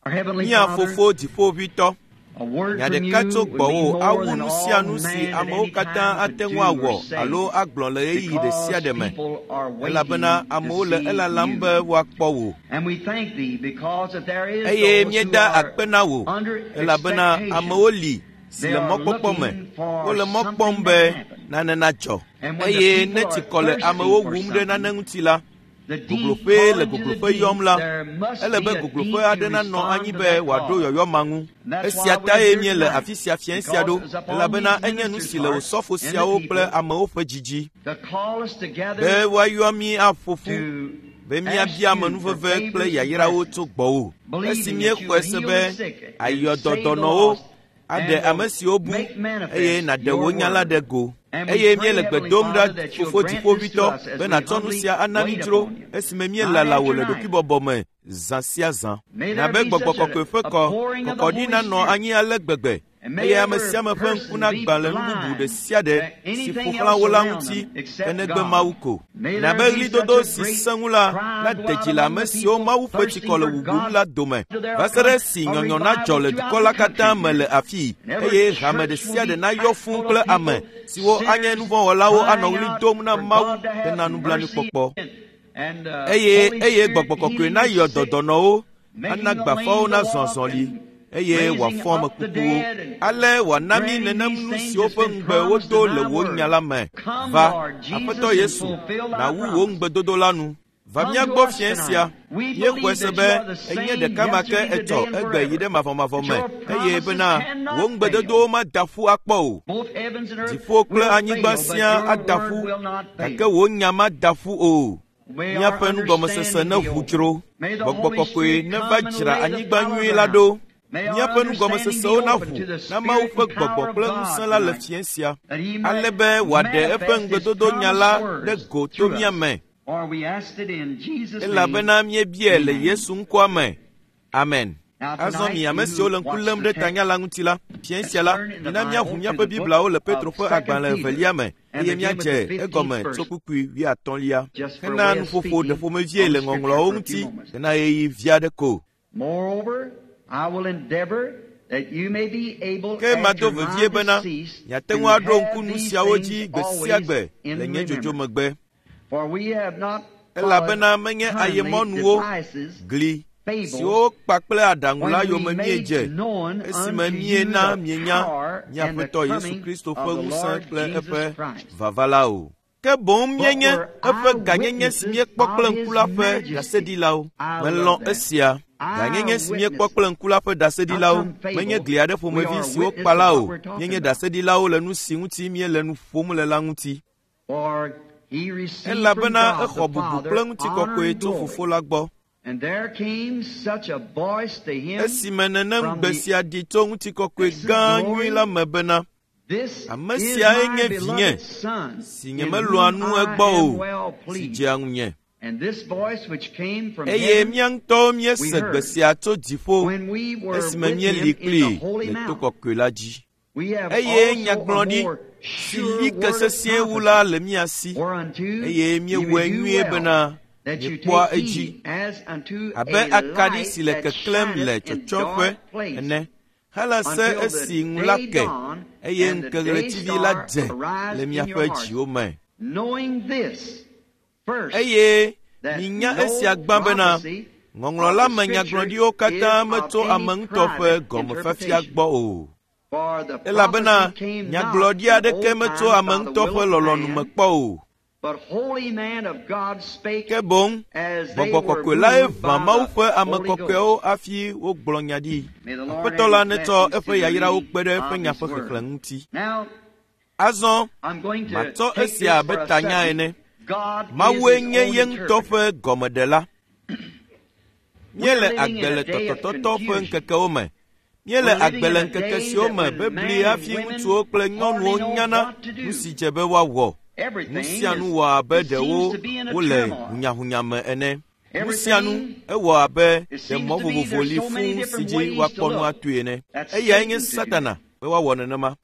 Mía Fofo Dziƒoʋĩtɔ, nya ɖeka tso gbɔwò awu nu sia nu si amewo katã ate ŋu awɔ alo agblɔ le ɣeyiɣi ɖe sia ɖe me, elabena amewo le elalam be woakpɔ wò. Eye míeda akpe na wò, elabena amewo li si le mɔkpɔkpɔ me, wole mɔ kpɔm be nane nadzɔ. Eye ne tsikɔ le amewo wum ɖe nane ŋuti la, gogloƒee le gogloƒe yɔm la, ele be gogloƒe aɖe nanɔ anyi be wòaɖo yɔyɔ ma ŋu. Esia tae míele afi sia fiẽ sia ɖo, elabena enye nu si le osɔfo siawo kple amewo ƒe dzi dzi be woayɔ mí aƒo ƒu be míabia amenuveve kple yayrawo tso gbɔwò. Esi míexɔe se be àyɔ dɔ dɔnɔwo, aɖe ame siwo bu, eye nàɖe wò nya la ɖe go. Eye míele gbe dom ɖa, Fofo Dziƒoʋĩtɔ, be nàtsɔ nu sia ana mí dzro esime míelala wò le ɖokuibɔbɔ me zã sia zã. Na be Gbɔgbɔ Kɔkɔe ƒe kɔ kɔkɔɖi nanɔ anyi ale gbegbe eye ame sia ame ƒe ŋku nagbã le nu bubu ɖe sia ɖe si ƒo xlã wo la ŋuti ke negbe Mawu ko. Na be ɣlidodo si sẽ ŋu la nade dzi le ame siwo Mawu ƒe tsikɔ le wùwum la dome va se ɖe esi nyɔnyɔ nadzɔ le dukɔ la katã me le afii eye hame ɖe sia ɖe nayɔ fũu kple ame siwo anye nuvɔ̃wɔlawo anɔ ɣli dom na Mawu hena nublanuikpɔkpɔ. Eye eye Gbɔgbɔ Kɔkɔe nayɔ dɔ dɔnɔwo, ana gbafawo nazɔ azɔli, eye wòafɔ ame kukuwo. Ale wòana mí nenem nu siwo ƒe ŋugbe wodo le wò nya la me. Va, Aƒetɔ Yesu, nàwu wò ŋugbedodo la nu. Va mía gbɔ fiẽ sia. Míexɔe se be ènye ɖeka ma ke etsɔ, egbe yi ɖe mavɔmavɔ me, eye bena wò ŋugbedodowo mada ƒu akpɔ o. Dziƒo kple anyigba siaa ada ƒu, gake wò nya mada ƒu o. Míaƒe nugɔmesese neʋu dzro. Gbɔgbɔ Kɔkɔe neva dzra anyigba nyui la ɖo. Míaƒe nugɔmesesewo naʋu na Mawu ƒe Gbɔgbɔ kple ŋusẽ la le fiẽ sia, ale be wòaɖe eƒe ŋugbedodo nya la ɖe go to mía me. Elabena míebiae le Yesu ŋkɔa me. Amen. Azɔ mi ame siwo le ŋku lém ɖe tanya la ŋuti la, fiẽ sia la, mina míaʋu míaƒe Bibliawo le Petro ƒe agbalẽ evelia me eye míadze egɔme tso kpukpui wuiatɔ̃lia hena nuƒoƒo ɖeƒomevie le Ŋɔŋlɔawo ŋuti hena ɣeyiɣi vi aɖe ko. Ke mado vevie bena miate ŋu aɖo ŋku nu siawo dzi gbe sia gbe le nye dzodzo megbe. Elabena menye ayemɔnuwo, gli siwo wokpa kple aɖaŋu la yome míedze esime míena mienya mía Aƒetɔ Yesu Kristo ƒe ŋusẽ kple eƒe vava la o. Ke boŋ míenye eƒe gãnyenye si míekpɔ kple ŋku la ƒe ɖaseɖilawo. Melɔ̃ esia. Gãnyenye si míekpɔ kple ŋku la ƒe ɖaseɖilawo menye gli aɖe ƒomevi si wokpa la o. Míenye ɖaseɖilawo le nu si ŋuti míele nu ƒom le la ŋuti. Elabena exɔ bubu kple ŋutikɔkɔe tso Fofo la gbɔ. Esime nenem gbe sia ɖi tso ŋutikɔkɔe gã nyui la me bena, Ame siae nye vinye, si nyemelɔ̃a nu egbɔ o, si dzea ŋunye. Eye mía ŋutɔwo míese gbe sia tso dziƒo esime míeli kplii le to kɔkɔe la dzi. Eye nyagblɔɖi si li ke sesĩe wu la le mía si, eye míewɔe nyuie bena míekpɔa edzi abe akaɖi si le keklẽm le tsɔtsɔƒe ene hele se esi ŋu la ke, eye ŋkeɣletivi la dze le miaƒe dziwo me. Eye minya esia gbã bena, Ŋɔŋlɔ la me nyagblɔɖiwo katã metso ame ŋutɔ ƒe gɔmefiafia gbɔ o. Elabena nyagblɔɖi aɖeke metso ame ŋutɔ ƒe lɔlɔ̃nu me kpɔ o. Ke boŋ Gbɔgbɔ Kɔkɔe lae ʋã Mawu ƒe ame kɔkɔewo hafi wogblɔ nya ɖi. Aƒetɔ la netsɔ eƒe yayrawo kpe ɖe eƒe nya ƒe xexlẽ ŋuti. Azɔ matsɔ esia abe tanya ene. Mawue nye ye ŋutɔ ƒe gɔmeɖela. Míele agbe le tɔtɔtɔtɔ ƒe ŋkekewo me. Míele agbe le ŋkeke siwo me bebli hafi ŋutsuwo kple nyɔnuwo nyana nu si dze be woawɔ. Nu sia nu wɔ abe ɖewo wole hunyahunya me ene. Nu sia nu ewɔ abe ɖe mɔ vovovo li fũu si dzi woakpɔ nu atoe ene. Eyae nye Satana be woawɔ nenema.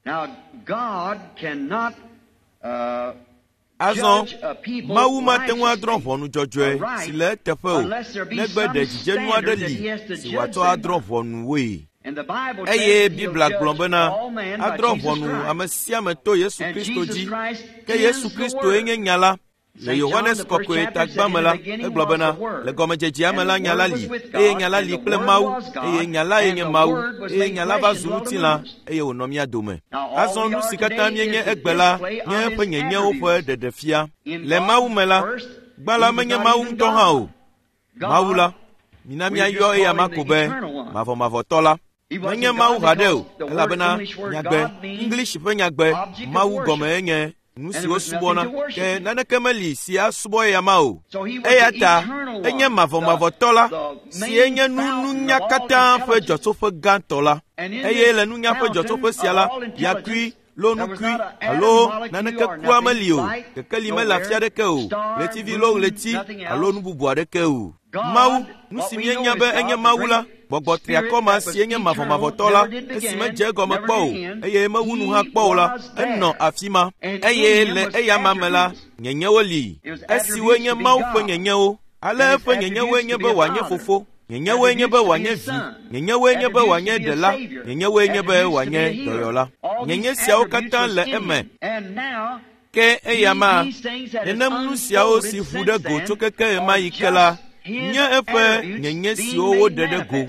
Azɔ Mawu mate ŋu adrɔ̃ ʋɔnu dzɔdzɔe si le eteƒe o, negbe ɖe dzidzenu aɖe li si wòatsɔ adrɔ̃ ʋɔnuwoe. Eye Biblia gblɔ bena adrɔ̃ ʋɔnu ame sia ame to Yesu Kristo dzi. Ke Yesu Kristoe nye nya la. Le Yohanes kɔkɔe tagba me la, egblɔ bena, le gɔmedzedzea me la nya la li, eye nya la li kple Mawu, eye nya lae nye Mawu, eye nya la va zu ŋutilã, eye wònɔ mía dome. Azɔ nu si katã míenye egbe la nye eƒe nyenyewo ƒe ɖeɖefia. Le Mawu me la, gbã la menye Mawu ŋutɔ hã o. Mawu la, mina míayɔ eya ma ko be mavɔmavɔtɔ la. Menye Mawu haɖe o, elabena nyagbe, English ƒe nyagbe, Mawu gɔme enye nu si wosubɔna, ke naneke meli si asubɔ eya ma o. Eya ta enye mavɔmavɔtɔ la, si enye nu nunya katã ƒe dzɔtsoƒe gãtɔ la. Eye le nunya ƒe dzɔtsoƒe sia la, yakui, lonukui alo naneke kura meli o, kekeli mele afi aɖeke o, ɣletivi lo ɣleti alo nu bubu aɖeke o. Mawu, nu si míenya be enye Mawu la, gbɔgbɔ triakɔ ma si enye mavɔmavɔtɔ la, esi medze egɔme kpɔ o, eye mewu nu hã kpɔ o la, enɔ afi ma. Eye le eya ma me la, nyenyewo li, esiwoe nye Mawu ƒe nyenyewo. Ale eƒe nyenyewoe nye be wòanye fofo, nyenyewoe nye be wòanye vi, nyenyewoe nye be wòanye ɖela, nyenyewoe nye be wòanye dɔyɔla. Nyenye siawo katã le eme. Ke eya ma, nenem nu siawo si ʋu ɖe go tso keke ɣemaɣi ke la, nye eƒe nyenye siwo woɖe ɖe go.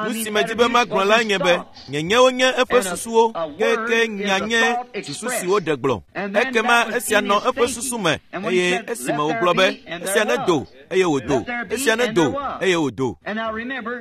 Nu si medi be magblɔ la nye be, nyenyewo nye eƒe susuwo, ke nya nye susu si woɖe gblɔ. Ekema esia nɔ eƒe susu me, eye esime wògblɔ be, esia nedo, eye wòdo, esia nedo, eye wòdo.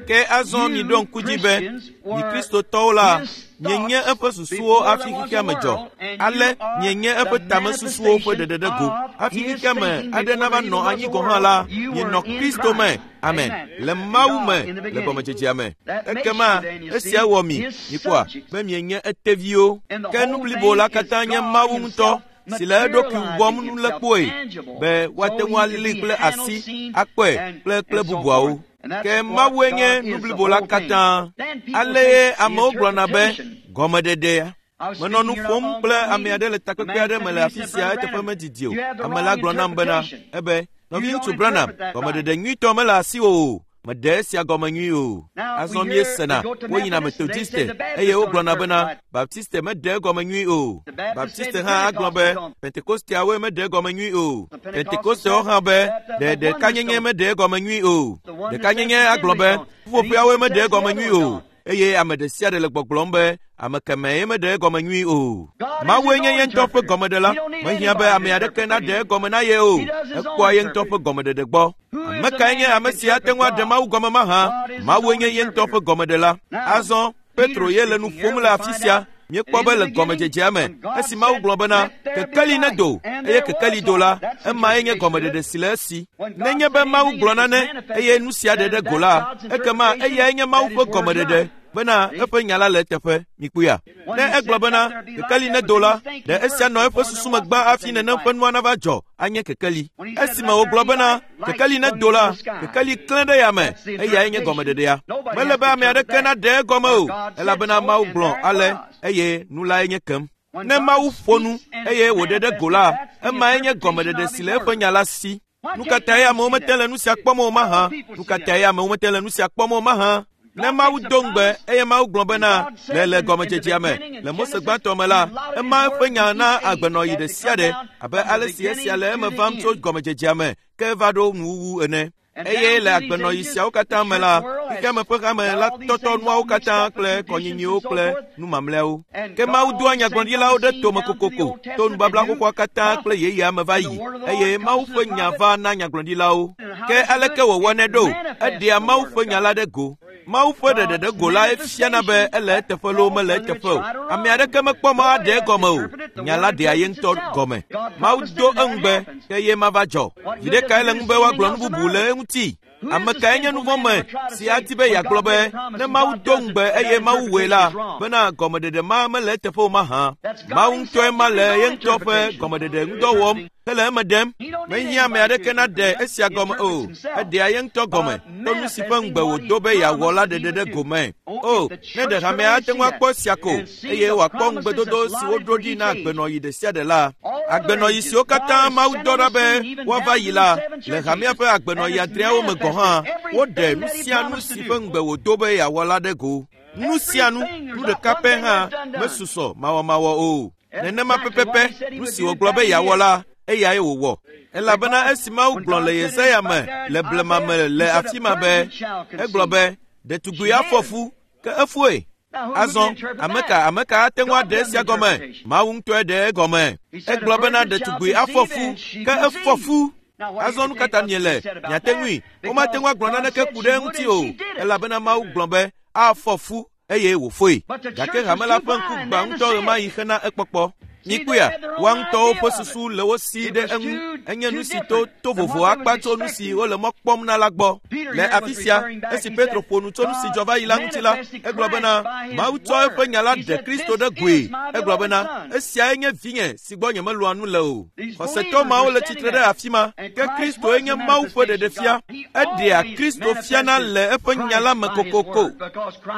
Ke azɔ miɖo ŋku dzi be, mi Kristotɔwo la, mienye eƒe susuwo hafi xexea me dzɔ. Ale mienye eƒe tamesusuwo ƒe ɖeɖe ɖe go. Hafi xexea me aɖe nava nɔ anyi gɔ̃ hã la, mienɔ Kristo me. Amen. Le Mawu me, le gɔmedzedzea me. Ekema esia wɔ mi, mikpɔa, be mienye eteviwo. Ke nu blibo la katã nye Mawu ŋutɔ, si le eɖokui wɔm nulekpoe, be woate ŋu alii kple asi, akpɔe kple bubuawo. Ke Mawue nye nu blibo la katã. Ale amewo gblɔna be gɔmeɖeɖea. Menɔ nu ƒom kple ame aɖe le takpekpe aɖe me le afi sia eteƒe medidi o. Ame la gblɔ nam bena, ebe, nɔviŋutsu Branham, gɔmeɖeɖe nyuitɔ mele asiwò o. Meɖe esia gɔme nyui o. Azɔ míesena woyina Methodiste eye wogblɔna bena Baptiste meɖe egɔme nyui o. Baptiste hã agblɔ be Pentekosteawoe meɖe egɔme nyui o. Pentekostewo hã be ɖe ɖekanyenye meɖe egɔme nyui o. Ɖekanyenye agblɔ be ƒuƒoƒeawoe meɖe egɔme nyui o. Eye ame ɖe sia ɖe le gbɔgblɔm be ame kemɛe meɖe egɔme nyui o. Mawue nye ye ŋutɔ ƒe gɔmeɖela. Mehiã be ame aɖeke naɖe egɔme na ye o. Ekpɔa ye ŋutɔ ƒe gɔmeɖeɖe gbɔ. Ame kae nye ame si ate ŋu aɖe Mawu gɔme mahã? Mawue nye ye ŋutɔ ƒe gɔmeɖela. Azɔ Petro ye le nu ƒom le afi sia. Míekpɔ be le gɔmedzedzea me, esi Mawu gblɔ bena, kekeli nedo, eye kekeli do la, emae nye gɔmeɖeɖe si le esi. Nenye be Mawu gblɔ nane, eye nu sia ɖe ɖe go la, ekema eyae nye Mawu ƒe gɔmeɖeɖe, bena eƒe nya la le eteƒe. Mikpɔea? Ne egblɔ bena, kekeli nedo la, ɖe esia nɔ eƒe susu me gbã hafi nenem ƒe nua nava dzɔ anye kekeli. Esime wògblɔ bena, kekeli nedo la, kekeli klẽ ɖe yame, eyae nye gɔmeɖeɖea. Mele be ame aɖeke naɖe egɔme o, elabena Mawu gblɔ ale, eye nu lae nye kem. Ne Mawu ƒo nu, eye wòɖe ɖe go la, emae nye gɔmeɖeɖe si le eƒe nya la si. Nu ka tae amewo mete le nu sia kpɔm o mahã? Nu ka tae amewo mete le nu sia kpɔm o mahã? Ne Mawu do ŋugbe eye Mawu gblɔ bena le gɔmedzedzea me, le Mose gbãtɔ me la, ema eƒe nya na agbenɔɣi ɖe sia ɖe, abe ale si esia le eme vam tso gɔmedzedzea me ke va ɖo nuwuwu ene. Eye le agbenɔɣi siawo katã me la, xexeame ƒe hame la tɔtɔ nuawo katã kple kɔnyinyiwo kple nu mamlɛawo. Ke Mawu doa nyagblɔɖilawo ɖe tome kokoko to nubabla xoxoa katã kple yeyea me va yi, eye Mawu ƒe nya va na nyagblɔɖilawo. Ke aleke wòwɔnɛ ɖo? Eɖea Mawu ƒe nya la ɖe go. Mawu ƒe ɖeɖe ɖe go la fiana be ele eteƒe loo mele eteƒe o. Ame aɖeke mekpɔ mɔ aɖe egɔme o. Nya la ɖea ye ŋutɔ gɔme. Mawu do eŋugbe, ke ye mava dzɔ. Viɖe kae le ŋu be woagblɔ nu bubu le eŋuti? Ame kae nye nuvɔ̃me si adi be yeagblɔ be, ne Mawu do ŋugbe eye Mawu wɔe la, bena gɔmeɖeɖe ma mele eteƒe o mahã? Mawu ŋutɔe ma le ye ŋutɔ ƒe gɔmeɖeɖe ŋudɔ wɔm. Hele eme ɖem. Mehiã ame aɖeke naɖe esia gɔme o. Eɖea ye ŋutɔ gɔme to nu si ƒe ŋugbe wòdo be yeawɔ la ɖeɖe ɖe gome. O, ne ɖe hamea ate ŋu akpɔ esia ko eye wòakpɔ ŋugbedodo si woɖo ɖi na agbenɔɣi ɖe sia ɖe la. Agbenɔɣi siwo katã Mawu dɔ ɖa be woava yi la, le hamea ƒe agbenɔɣi adreawo me gɔ̃ hã, woɖe nu sia nu si ƒe ŋugbe wòdo be yeawɔ la ɖe go. Nu sia nu, nu ɖeka pɛ hã mesusɔ mawɔmawɔ o. Nenema pɛpɛpɛ nu si wògblɔ be yeawɔ la, eyae wòwɔ. Elabena esi Mawu gblɔ le Yesaya me le blema me le afi ma be, egblɔ be, ɖetugbui afɔ fu, ke efoe. Azɔ, ame ka ame ka ate ŋu aɖe esia gɔme? Mawu ŋutɔe ɖe egɔme. Egblɔ bena ɖetugbui afɔ fu, ke efɔ fu. Azɔ nu ka ta miele? Miate ŋui. Womate ŋu agblɔ naneke ku ɖe eŋuti o, elabena Mawu gblɔ be afɔ fu eye wòfoe. Gake hame la ƒe ŋku gbã ŋutɔ ɣemaɣi hena ekpɔkpɔ. Mikpɔea, woa ŋutɔwo ƒe susu le wo si ɖe eŋu. Enye nu si to to vovo akpa tso nu si wole mɔ kpɔm na la gbɔ. Le afi sia, esi Petro ƒo nu tso nu si dzɔ va yi la ŋuti la, egblɔ bena Mawu tsɔ eƒe nya la ɖe Kristo ɖe goe. Egblɔ bena, esiae nye vinye si gbɔ nyemelɔ̃a nu le o. Xɔsetɔ mawo le tsitre ɖe afi ma, ke Kristoe nye Mawu ƒe ɖeɖefia. Eɖea Kristo fiana le eƒe nya la me kokoko,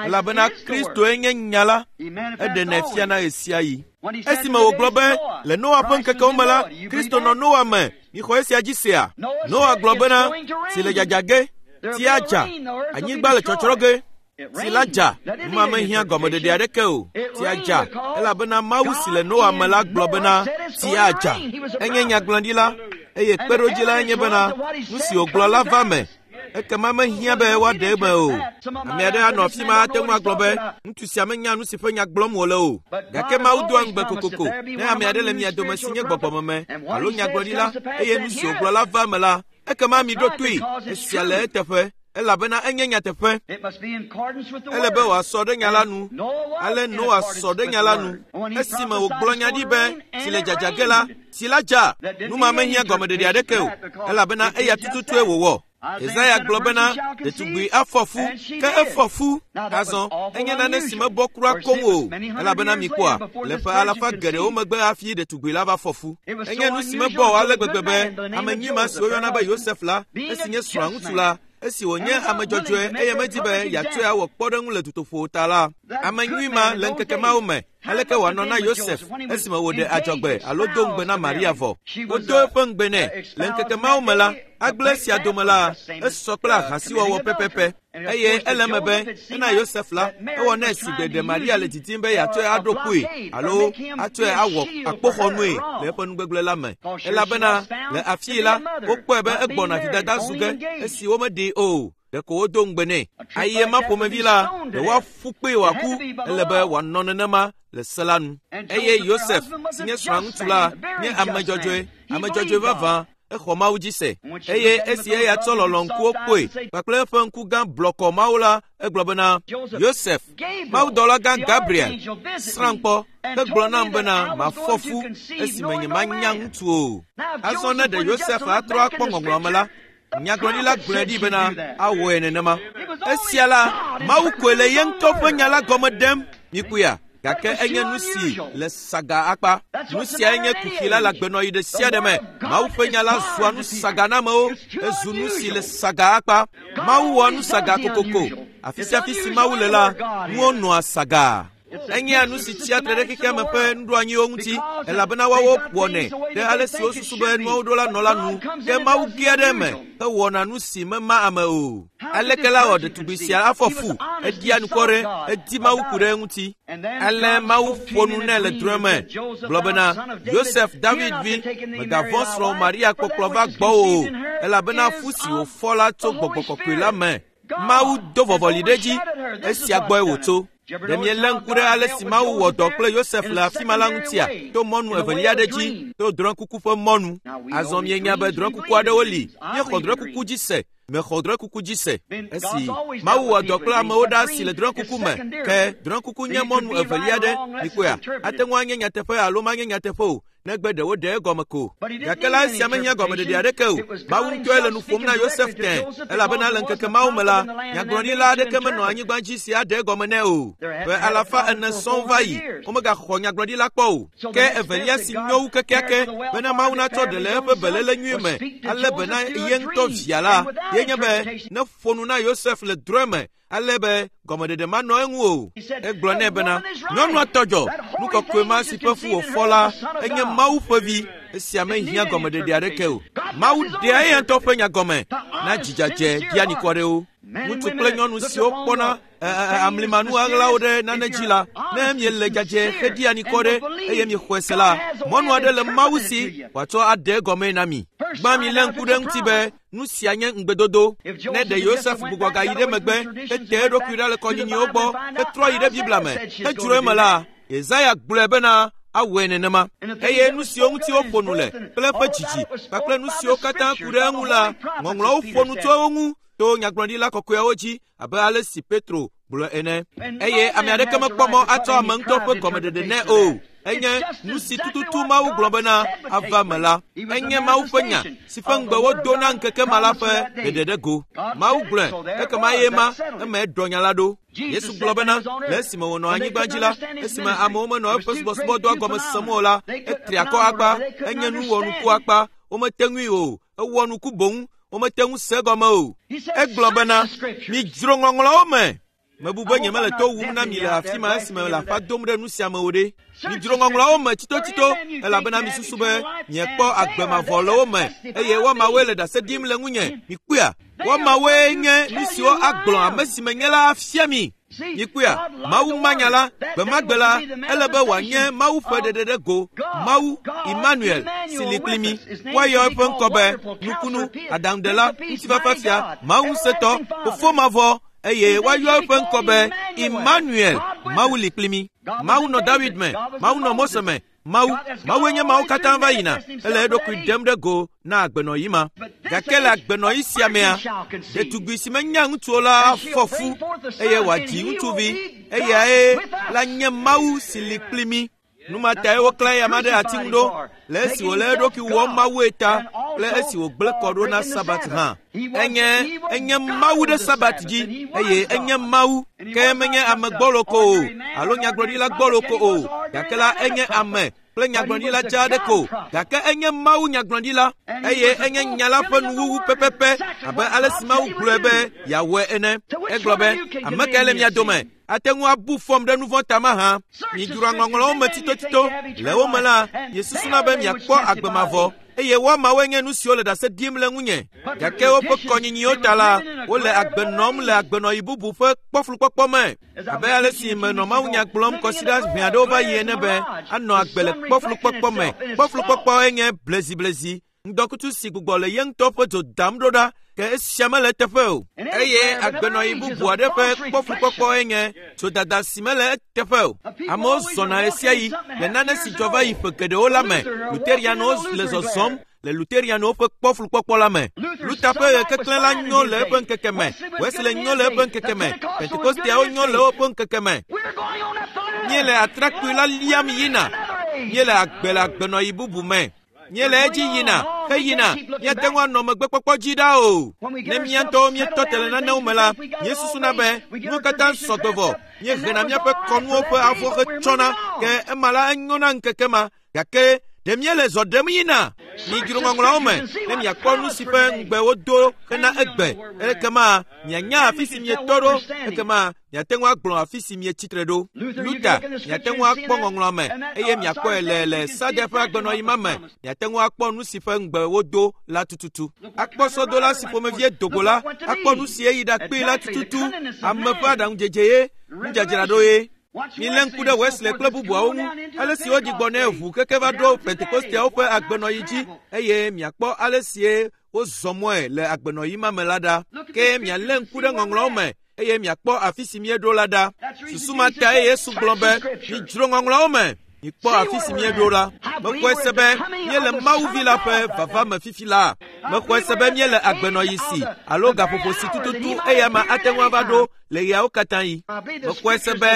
elabena Kristoe nye nya la. Eɖenɛ fiana ɣesiaɣi. Esime wògblɔ be le Noa ƒe ŋkekewo me la, Kristo nɔ Noa me. Mixɔ esia dzi sea? Noa gblɔ bena, tsi le dzadza ge, tsi adza, anyigba le tsɔtsrɔ̃ ge. Tsi la dza, numa mehiã gɔmeɖeɖe aɖeke o. Tsia dza, elabena Mawu si le Noa me la gblɔ bena tsi adza. Enye nyagblɔɖila, eye kpeɖodzi lae nye bena nu si wògblɔ la va me. Ekema mehiã be woaɖe eme o. Ame aɖe anɔ afi ma ate ŋu agblɔ be ŋutsu sia menya nu si ƒe nya gblɔm wòle o. Gake Mawu doa ŋugbe kokoko ne ame aɖe le mia dome si nye gbɔgbɔmeme alo nyagblɔɖila eye nu si wògblɔ la va eme la, ekema miɖo toe. Esia le eteƒe elabena enye nyateƒe. Ele be wòasɔ ɖe nya la nu. Ale Noa sɔ ɖe nya la nu. Esime wògblɔ nya ɖi be tsi le dzadza ge la, tsi la dza. Nu ma mehiã gɔmeɖeɖe aɖeke o, elabena eya tututue wòwɔ. Yesaya gblɔ bena ɖetugbui afɔ fu, ke efɔ fu. Azɔ, enye nane si mebɔ kura koŋ o, elabena mikpɔa, le ƒe alafa geɖewo megbe hafi ɖetugbui la va fɔ fu. Enye nu si mebɔ o ale gbegbe be ame nyui ma si woyɔna be Yosef la, esi nye srɔ̃a ŋutsu la, esi wònye ame dzɔdzɔe eye medi be yeatsɔe awɔ kpɔɖeŋu le dutoƒo ta la, ame nyui ma le ŋkeke mawo me, aleke wòanɔ na Yosef esime wòɖe adzɔgbe alo do ŋugbe na Maria vɔ? Wodo eƒe ŋugbe nɛ. Le ŋkeke mawo me la, agble sia dome la, esɔ kple ahasiwɔwɔ pɛpɛpɛ. Eye ele eme be ena Yosef la, ewɔ nɛ si gbe ɖe Maria le didim be yeatsɔe aɖo kpoe alo atsɔe awɔ akpoxɔnue le eƒe nugbegblẽ la me. Elabena le afii la, wokpɔe be egbɔna vidada zu ge esi womeɖee o. Ɖeko wodo ŋugbe nɛ. Ayi ma ƒomevi la, ɖe woaƒu kpee wòaku. Ele be wòanɔ nenema le se la nu. Eye Yosef, si nye srɔ̃a ŋutsu la, nye ame dzɔdzɔe, ame dzɔdzɔe vavã, exɔ Mawu dzi se. Eye esi eya tsɔ lɔlɔ̃ŋkuwo kpɔe kpakple eƒe ŋku gã blɔkɔ Mawu la, egblɔ bena, Yosef, mawudɔlagã Gabriel, srãm kpɔ hegblɔ nam bena mafɔ fu esime nyemanya ŋutsu o. Azɔ ne ɖe Yosef atrɔ akpɔ ŋɔŋlɔa me la, nyagblɔɖila gblɔe ɖi bena awɔe nenema. Esia la, Mawu koe le ye ŋutɔ ƒe nya la gɔme ɖem. Mikpɔea? Gake enye nu si le saga akpa. Nu siae nye kuxi la le agbenɔɣi ɖe sia ɖe me. Mawu ƒe nya la zua nu saga na amewo. Ezu nu si le saga akpa. Mawu wɔa nu saga kokoko. Afi sia afi si Mawu le la, nuwo nɔa saga. Enyea nu si tsia tre ɖe xexea me ƒe nuɖoanyiwo ŋuti, elabena woawo wɔnɛ ɖe ale si wosusu be nuawo ɖo la nɔ la nu. Ke Mawu gea ɖe eme hewɔna nu si mema ame o. Aleke la wɔ ɖetugbui sia afɔ fu? Eɖia nukɔ ɖe, edi Mawu ku ɖe eŋuti. Ale Mawu ƒo nu nɛ le drɔ̃e me, gblɔ bena, Yosef, David vi, mègavɔ̃ srɔ̃wò Maria kpɔkplɔ va gbɔwò o, elabena fu si wòfɔ la tso Gbɔgbɔ Kɔkɔe la me. Mawu do vɔvɔli ɖe edzi, esia gbɔe wòtso. Ɖe mielé ŋku ɖe ale si Mawu wɔ dɔ kple Yosef le afi ma la ŋutia? To mɔnu evelia aɖe dzi, to drɔ̃ekuku ƒe mɔnu. Azɔ mienya be drɔ̃ekuku aɖewo li. Míexɔ drɔ̃ekuku dzi se. Mexɔ drɔ̃ekuku dzi se. Esi Mawu wɔ dɔ kple amewo ɖaa si le drɔ̃ekuku me, ke drɔ̃ekuku nye mɔnu evelia aɖe. Mikpɔea? Ate ŋu anye nyateƒe alo manye nyateƒe o. Negbe ɖe woɖe egɔme ko. Gake la esia mehiã gɔmeɖeɖe aɖeke o. Mawu ŋutɔe le nu ƒom na Yosef tẽ, elabena le ŋkeke mawo me la, nyagblɔɖila aɖeke menɔ anyigba dzi si aɖe egɔme nɛ o. Ƒe 400 sɔŋ va yi, womegaxɔ nyagblɔɖila kpɔ o. Ke evelia si nyo wu kekeake bena Mawu natsɔ ɖe le eƒe beléle nyui me ale bena ye ŋutɔ via la, ye nye be neƒo nu na Yosef le drɔ̃e me ale be gɔmeɖeɖe manɔ eŋu o. Egblɔ nɛ bena, nyɔnua tɔ dzɔ, nu kɔkɔe ma si ƒe fu wòfɔ la, enye Mawu ƒe vi. Esia mehiã gɔmeɖeɖe aɖeke o. Mawu ɖea eya ŋutɔ ƒe nya gɔme na dzidzadze ɖianikɔ aɖewo. Ŋutsu kple nyɔnu siwo kpɔna amlimanu ɣaɣlawo ɖe nane dzi la, ne miele dzadze heɖi anikɔ ɖe eye miexɔe se la, mɔnu aɖe le Mawu si wòatsɔ aɖe egɔmee na mi. Gbã milé ŋku ɖe eŋuti be nu sia nye ŋugbedodo. Ne ɖe Yosef gbugbɔ gayi ɖe megbe hete eɖokui ɖa le kɔnyinyiwo gbɔ hetrɔ yi ɖe Biblia me hedzro eme la, Yesaya gblɔe bena awɔe nenema. Eye nu siwo ŋuti woƒo nu le kple eƒe dzidzi kpakple nu siwo katã ku ɖe eŋu la, Ŋɔŋlɔawo ƒo nu tso wo ŋu to nyagblɔɖila kɔkɔeawo dzi abe ale si Petro gblɔ ene. Eye ame aɖeke mekpɔ mɔ atsɔ ame ŋutɔ ƒe gɔmeɖeɖe nɛ o. Enye nu si tututu Mawu gblɔ bena ava me la. Enye Mawu ƒe nya si ƒe ŋugbe wodo na ŋkeke ma la ƒe ɖeɖe ɖe go. Mawu gblɔe, ekema eye ma eme ɖɔ nya la ɖo. Yesu gblɔ bena le esime wònɔ anyigba dzi la, esime amewo menɔ eƒe subɔsubɔdɔa gɔme sem o la, etri akɔ akpa, enye nu wɔnuku akpa, womete ŋui o, ewɔ nuku boŋ, womete ŋu se egɔme o. Egblɔ bena, midzro ŋɔŋlɔawo me. Mebu be nyemele to wum na mi le afi ma esime le aƒa dom ɖe nu sia me o ɖe. Midzro ŋɔŋlɔawo me tsitotsito, elabena misusu be miekpɔ agbe mavɔ le wo me, eye woamawoe le ɖase ɖim le ŋunye. Mikpɔea? Woamawoe nye nu siwo agblɔ ame si menye la afia mi. Mikpɔea? Mawu manya la, gbe ma gbe la, ele be wòanye Mawu ƒe ɖeɖe ɖe go, Mawu, Emmanuel, si li kpli mi. Woayɔ eƒe ŋkɔ be Nukunu, Aɖaŋuɖela, Ŋutifafafia, Mawu ŋusẽtɔ, Fofo mavɔ, eye woayɔ eƒe ŋkɔ be Emmanuel, Mawu li kpli mi. Mawu nɔ David me, Mawu nɔ Mose me, Mawu, Mawue nye mawo katã va yina, ele eɖokui ɖem ɖe go na agbenɔɣi ma. Gake le agbenɔɣi sia mea, ɖetugbui si menya ŋutsu o la afɔ fu eye wòadzi ŋutsuvi, eyae la nye Mawu si li kpli mí. Nu ma tae woklã eya ma ɖe ati ŋu ɖo, le esi wòle eɖokui wɔm Mawue ta kple esi wògblẽ kɔ ɖo na Sabat hã. Enye Mawu ɖe Sabat dzi, eye enye Mawu, ke menye ame gbɔlo ko o, alo nyagblɔɖila gbɔlo ko o, gake la enye ame kple nyagblɔɖila dzaa aɖe ko, gake enye Mawu nyagblɔɖila, eye enye nya la ƒe nuwuwu pɛpɛpɛ abe ale si Mawu gblɔe be yeawɔe ene. Egblɔ be, ame kae le mia dome ate ŋu abu fɔm ɖe nu vɔ̃ ta mahã? Midzroa ŋɔŋlɔawo me tsitotsito. Le wo me la, miesusuna be miakpɔ agbe mavɔ, eye woamawoe nye nu siwo le ɖase ɖim le ŋunye. Gake woƒe kɔnyinyiwo ta la, wole agbe nɔm le agbenɔɣi bubu ƒe kpɔflukpɔkpɔ me. Abe ale si menɔ mawunya gblɔm kɔsiɖa ʋɛ aɖewo va yi ene be anɔ agbe le kpɔflukpɔkpɔ me. Kpɔflukpɔkpɔ enye bleziblezi, ŋdɔkutsu si gbugbɔ le ye ŋutɔ ƒe dzo dam ɖo ɖa, ke esia mele eteƒe o. Eye agbenɔɣi bubu aɖe ƒe kpɔflukpɔkpɔ enye dzodada si mele eteƒe o. Amewo zɔna ɣesiaɣi le nane si dzɔ va yi ƒe geɖewo la me. Luterianwo le zɔzɔm le Luterianwo ƒe kpɔflukpɔkpɔ la me. Luther ƒe ɣekeklẽ la nyo le eƒe ŋkeke me, Wesley nyo le eƒe ŋkeke me, Pentekosteawo nyo le woƒe ŋkeke me. Míele atrakpui la liam yina. Míele agbe le agbenɔɣi bubu me. Míele edzi yina, heyina, míate ŋu anɔ megbekpɔkpɔ dzi ɖa o. Ne mía ŋutɔwo míetɔ te le nanewo me la, míesusuna be nuwo katã sɔgbe vɔ. Míehena míaƒe kɔnuwo ƒe avɔ hetsɔna, ke ema la enyo na ŋkeke ma. Gake ɖe míele zɔ ɖem yina? Midzro ŋɔŋlɔawo me ne miakpɔ nu si ƒe ŋugbe wodo hena egbe. Ekema mianya afi si mietɔ ɖo, ekema miate ŋu agblɔ afi si mietsitre ɖo. Luther, miate ŋu akpɔ ŋɔŋlɔa me eye miakpɔe le Sade ƒe agbenɔɣi ma me. Miate ŋu akpɔ nu si ƒe ŋugbe wodo la tututu. Akpɔ sɔdola si ƒomevie dogo la, akpɔ nu si eyi ɖakpee la tututu. Ame ƒe aɖaŋudzedze ye, nudzadzraɖo ye. Milé ŋku ɖe Wesley kple bubuawo ŋu, ale si wodzi gbɔ nɛ ʋu keke va ɖo Pentekosteawo ƒe agbenɔɣi dzi, eye miakpɔ ale sie wozɔ mɔe le agbenɔɣi ma me la ɖa. Ke mialé ŋku ɖe ŋɔŋlɔawo me, eye miakpɔ afi si míeɖo la ɖa. Susu ma tae Yesu gblɔ be, midzro ŋɔŋlɔawo me. Mikpɔ afi si míeɖo la. Mexɔe se be míele Mawu Vi la ƒe vava me fifi laa. Mexɔe se be míele agbenɔɣi si alo gaƒoƒo si tututu eya ma ate ŋu ava ɖo le ɣeawo katã ɣi. Mexɔe se be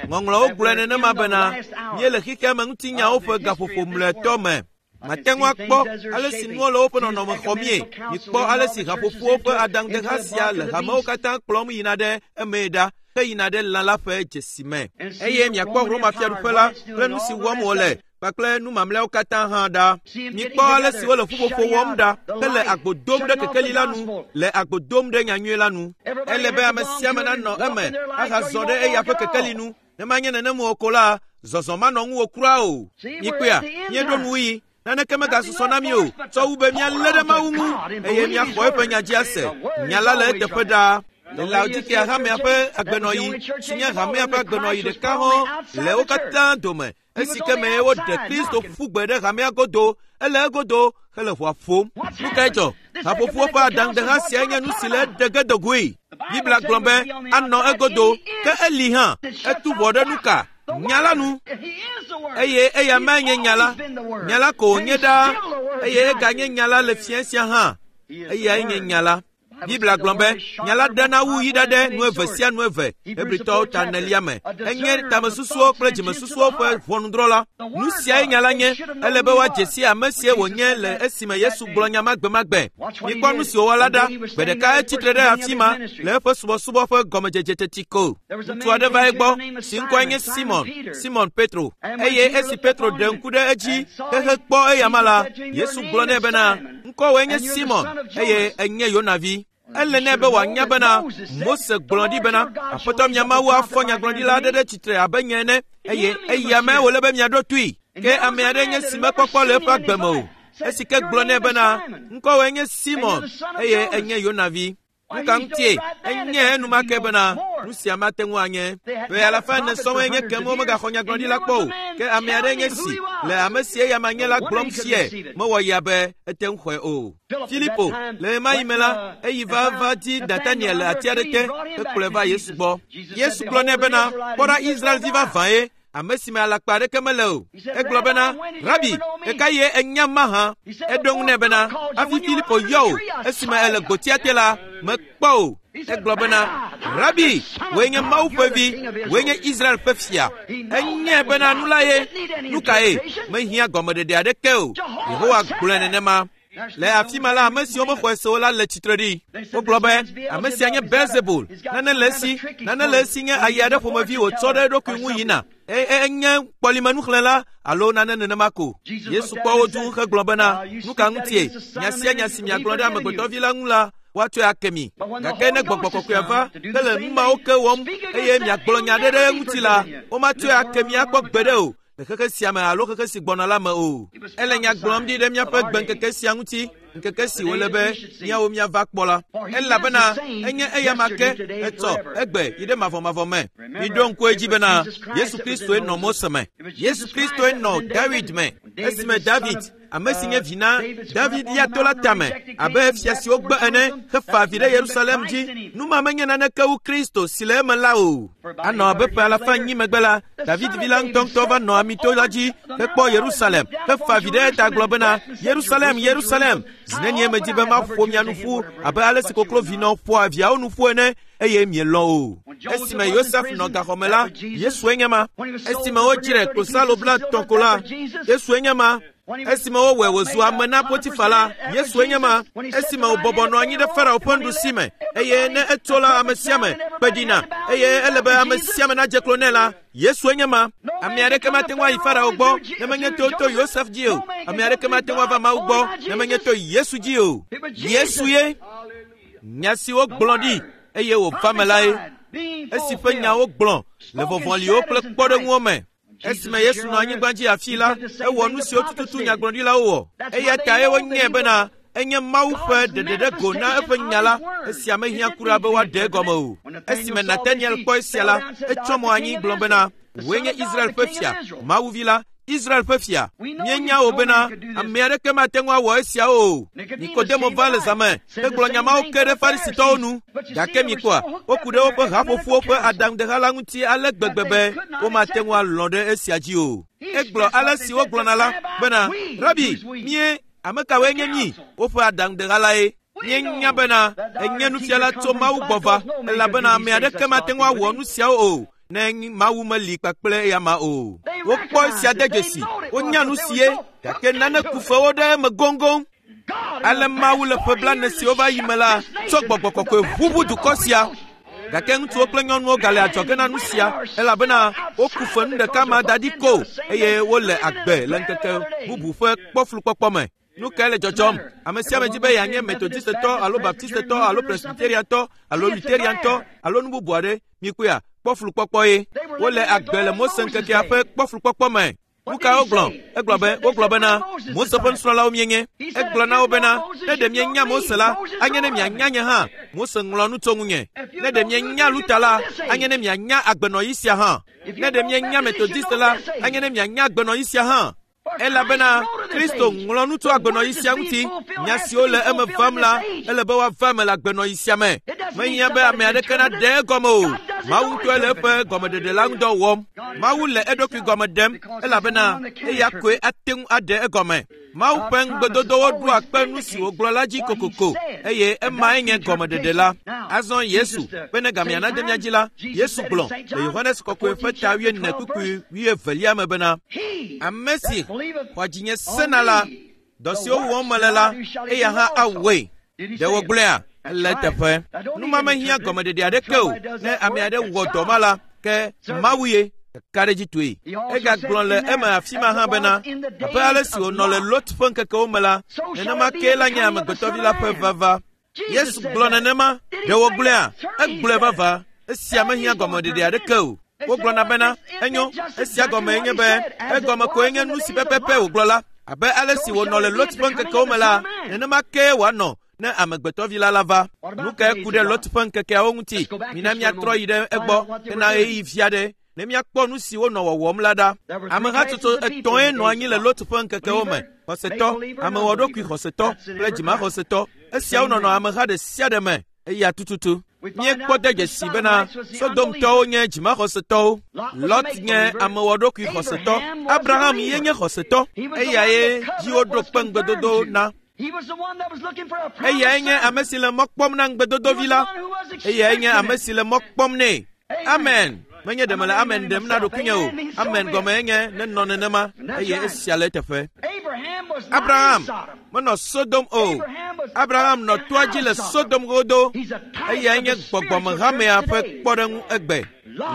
Ŋɔŋlɔawo gblɔe nenema bena míele xexea me ŋutinyawo ƒe gaƒoƒo mlɔetɔ me. Mate ŋu akpɔ ale si nuwo le woƒe nɔnɔme xɔmie. Mikpɔ ale si haƒoƒowo ƒe adaŋudeha sia le hamewo katã kplɔm yina ɖe emee ɖa heyina ɖe lã la ƒe dzesi me. Eye miakpɔ Roma fiaɖuƒe la kple nu si wɔm wòle kpakple nu mamlɛawo katã hã ɖa. Mikpɔ ale si wole ƒuƒoƒo wɔm ɖa hele agbo dom ɖe kekeli la nu, le agbo dom ɖe nyanyui la nu. Ele be ame sia ame nanɔ eme ahazɔ ɖe eya ƒe kekeli nu. Ne manye nenem o ko la, zɔzɔ manɔ ŋuwò kura o. Mikpɔea, míeɖo nuwuɣi. Naneke megasusɔ na mí o, tsɔ wu be míalé ɖe Mawu ŋu eye míaxɔ eƒe nya dzi ase. Nya la le eteƒe ɖaa. Le Laodikea hamea ƒe agbenɔɣi, si nye hamea ƒe agbenɔɣi ɖeka hɔ̃ le wo katã dome, esi ke mee woɖe Kristo ƒu gbe ɖe hamea godo, ele egodo hele ʋɔa ƒom. Nu kae dzɔ? Haƒoƒowo ƒe adaŋudeha siae nye nu si le eɖe ge do goe. Biblia gblɔ be anɔ egodo, ke eli hã. Etu ʋɔ ɖe nu ka? Nya la nu. Eye eya mae nye nya la. Nya la ko wònye ɖaa, eye eganye nya la le fiẽ sia hã. Eyae nye nya la. Biblia gblɔ be nya la ɖena wu yi ɖaɖe nu eve sia nu eve Hebritɔwo ta enelia me. Enye tamesusuwo kple dzimesusuwo ƒe ʋɔnudrɔ̃la. Nu siae nya la nye. Ele be woadze si ame sie wònye le esime Yesu gblɔ nya ma gbemagbe. Mikpɔ nu si wòwɔ la ɖa. Gbe ɖeka etsi tre ɖe afi ma le eƒe subɔsubɔ ƒe gɔmedzedze teti ko. Ŋutsu aɖe va egbɔ si ŋkɔe nye Simon, Simon Petro. Eye esi Petro ɖe ŋku ɖe edzi xexe kpɔ eyama la, Yesu gblɔ nɛ bena, Ŋkɔwòe nye Simon, eye ènye Yona vi. Ele nɛ be wòanya bena Mose gblɔ ɖi bena, Aƒetɔ mia Mawu afɔ nyagblɔɖila aɖe ɖe tsitre abe nye ene, eye eya mee wòle be miaɖo toe. Ke ame aɖe nye si mekpɔkpɔ le eƒe agbe me o. Esi ke gblɔ nɛ bena, Ŋkɔwòe nye Simon, eye ènye Yona vi. Nu ka ŋutie enye enumake bena nu sia mate ŋu anye? Ƒe alafa ene sɔŋ enye kem womegaxɔ nyagblɔɖi la kpɔ o. Ke ame aɖe nye si le ame si eya ma nye la gblɔm sie mewɔ ya be ete ŋu xɔe o. Filipo, le ɣemaɣi me la, eyi va va di Nataniel le ati aɖe te hekplɔe va Yesu gbɔ. Yesu gblɔ nɛ bena, Kpɔ ɖa Israelvi vavã ye, ame si me alakpa aɖeke mele o. Egblɔ bena, Rabi, ɣekaɣie ènya mahã? Eɖo eŋu nɛ bena, Hafi Filipo yɔ wò esime èle gbotia te la, mekpɔ wò. Egblɔ bena, Rabi, wòe nye Mawu ƒe vi, wòe nye Israel ƒe fia. Enyae bena nu la ye. Nu kae? Mehiã gɔmeɖeɖe aɖeke o. Yehowa gblɔe nenema. Le afi ma la, ame siwo mexɔe se o la le tsitre ɖi. Wogblɔ be, Ame sia nye Beelzebul, nane le esi, nane le esi nye ayi aɖe ƒomevi wòtsɔ ɖe eɖokui ŋu yina. E, e, enye kpɔlimenuxlẽla alo nane nenema ko. Yesu kpɔ wo dũu hegblɔ bena, Nu ka ŋutie? Nya sia nya si miagblɔ ɖe Amegbetɔvi la ŋu la, woatsɔe ake mi. Gake ne Gbɔgbɔ Kɔkɔea va hele nu mawo ke wɔm eye miagblɔ nya aɖe ɖe eŋuti la, womatsɔe ake mi akpɔ gbeɖe o. le xexe sia me alo xexe si gbɔna la me o. Ele nya gblɔm ɖi ɖe míaƒe gbeŋkeke sia ŋuti, ŋkeke si wòle be míawo míava kpɔ la. Elabena enye eyama ke, etsɔ, egbe, yi ɖe mavɔmavɔ me. Miɖo ŋku edzi bena Yesu Kristoe nɔ Mose me. Yesu Kristoe nɔ Dawid me. Esime David, ame si nye vi na David lia to la tame abe fia si wogbe ene hefa avi ɖe Yerusalem dzi. Nu ma menye naneke wu Kristo si le eme la o. Anɔ abe ƒe alafa enyi megbe la, David vi la ŋutɔŋutɔ va nɔ Amito la dzi hekpɔ Yerusalem hefa avi ɖe eta gblɔ bena, Yerusalem, Yerusalem, zi nenie medi be maƒo mia nu ƒu abe ale si koklovinɔ ƒoa viawo nu ƒu ene, eye mielɔ̃ o. Esime Yosef nɔ gaxɔ me la, Yesue nye ma. Esime wodzrae klosalo blaetɔ̃ ko la, Yesue nye ma. Esime wowɔe wòzu ame na Potifa la, Yesue nye ma. Esime wòbɔbɔ nɔ anyi ɖe Farao ƒe nuɖusi me, eye ne etso la, ame sia ame kpe ɖina, eye ele be ame sia ame nadze klo nɛ la, Yesue nye ma. Ame aɖeke mate ŋu ayi Farao gbɔ ne menye to to Yosef dzi o. Ame aɖeke mate ŋu ava Mawu gbɔ ne menye to Yesu dzi o. Yesu ye. Nya si wogblɔ ɖi eye wòva me lae, esi ƒe nya wogblɔ le vɔvɔliwo kple kpɔɖeŋuwo me. Esime Yesu nɔ anyigba dzi afii la, ewɔ nu siwo tututu nyagblɔɖilawo wɔ. Eya tae wonyae bena enye Mawu ƒe ɖeɖeɖego na eƒe nya la. Esia mehiã kura be woaɖe egɔme o. Esime Nataniel kpɔ esia la, etsyɔ mo anyi gblɔ bena, Wòe nye Israel ƒe fia, Mawu vi la, Israel ƒe fia. Míenya wò bena ame aɖeke mate ŋu awɔ esiawo o. Nikodemo va le zã me hegblɔ nya mawo ke ɖe Farisitɔwo nu. Gake mikpɔa, woku ɖe woƒe haƒoƒowo ƒe adaŋudeha la ŋuti ale gbegbe be womate ŋu alɔ̃ ɖe esia dzi o. Egblɔ ale si wogblɔna la bena, Rabi, mie, ame kawoe nye mí? Woƒe aɖaŋudeha lae. Míenya bena enye nufiala tso Mawu gbɔ va, elabena ame aɖeke mate ŋu awɔ nu siawo o ne Mawu meli kpakple eyama o. Wokpɔ esia de dzesi, wonya nu sie, gake nane ku fe wo ɖe eme goŋgoŋ. Ale Mawu le ƒe blaene siwo va yi me la tsɔ gbɔgbɔ kɔkɔe ʋuʋu dukɔ sia. Gake ŋutsuwo kple nyɔnuwo gale adzɔge na nu sia elabena woku fe nu ɖeka ma da ɖi ko eye wole agbe le ŋkeke bubu ƒe kpɔflukpɔkpɔ me. Nu kae le dzɔdzɔm? Ame sia ame di be yeanye Metodistetɔ alo Baptistetɔ alo Presbyteriantɔ alo Lutheriantɔ alo nu bubu aɖe. Mikpɔea, kpɔflukpɔkpɔ ye. Wole agbe le Mose ŋkekea ƒe kpɔflukpɔkpɔ me. Nu ka wogblɔ? Egblɔ be, wogblɔ bena, Mose ƒe nusrɔ̃lawo míenye. Egblɔ na wo bena, ne ɖe mienya Mose la, anye ne mianya nye hã. Mose ŋlɔ nu tso ŋunye. Ne ɖe mienya Luther la, anye ne mianya agbenɔɣi sia hã. Ne ɖe mienya Methodist la, anye ne mianya agbenɔɣi sia hã. Elabena Kristo ŋlɔ nu tso agbenɔɣi sia ŋuti. Nya siwo le eme vam la, ele be woava eme le agbenɔɣi sia me. Mehiã be ame aɖeke naɖe egɔme o. Mawu ŋutɔe le eƒe gɔmeɖeɖe la ŋudɔ wɔm. Mawu le eɖokui gɔme ɖem elabena eya koe ate ŋu aɖe egɔme. Mawu ƒe ŋugbedodowo ɖoa kpe nu si wògblɔ la dzi kokoko eye emae nye gɔmeɖeɖe la. Azɔ Yesu, bene gamea nade mía dzi la, Yesu gblɔ le Yohanes Kɔkɔe ƒe ta wuiene kpukpui wuievelia me bena, Ame si xɔa dzinye sena la, dɔ siwo wɔm mele la, eya hã awɔe. Ɖe wògblɔea? Ele eteƒe. Nu ma mehiã gɔmeɖeɖe aɖeke o. Ne ame aɖe wɔ dɔ ma la, ke Mawu ye. Kakaɖedzitɔe. Egagblɔ le eme afi ma hã bena, abe ale si wònɔ le Lot ƒe ŋkekewo me la, nenema kee la nye Amegbetɔvi la ƒe vava. Yesu gblɔ nenema. Ɖe wògblɔea? Egblɔe vava. Esia mehiã gɔmeɖeɖe aɖeke o. Wogblɔna bena, enyo, esia gɔmee nye be, egɔme koe nye nu si pɛpɛpɛ wògblɔ la. Abe ale si wònɔ le Lot ƒe ŋkekewo me la, nenema kee wòanɔ ne Amegbetɔvi la lava. Nu kae ku ɖe Lot ƒe ŋkekeawo ŋuti? Mina míatrɔ yi ɖe egbɔ hena ɣeyiɣi vi aɖe ne míakpɔ nu si wonɔ wɔwɔm la ɖa. Amehatsotso etɔ̃e nɔ anyi le Lot ƒe ŋkekewo me, xɔsetɔ, amewɔɖokui xɔsetɔ kple dzimaxɔsetɔ. Esiawo nɔnɔ ameha ɖe sia ɖe me. Eya tututu. Míekpɔ de dzesi bena Sodomtɔwo nye dzimaxɔsetɔwo, Lot nye amewɔɖokui xɔsetɔ, Abraham ye nye xɔsetɔ, eyae dzi woɖo kpe ŋugbedodo na. Eyae nye ame si le mɔ kpɔm na ŋugbedodovi la. Eyae nye ame si le mɔ kpɔm nɛ. Amen. Menye ɖe mele amen ɖem na ɖokuinye o. Amen gɔmee nye nenɔ nenema eye esia le eteƒe. Abraham menɔ Sodom o. Abraham nɔ toa dzi le Sodom godo. Eyae nye gbɔgbɔmehamea ƒe kpɔɖeŋu egbe.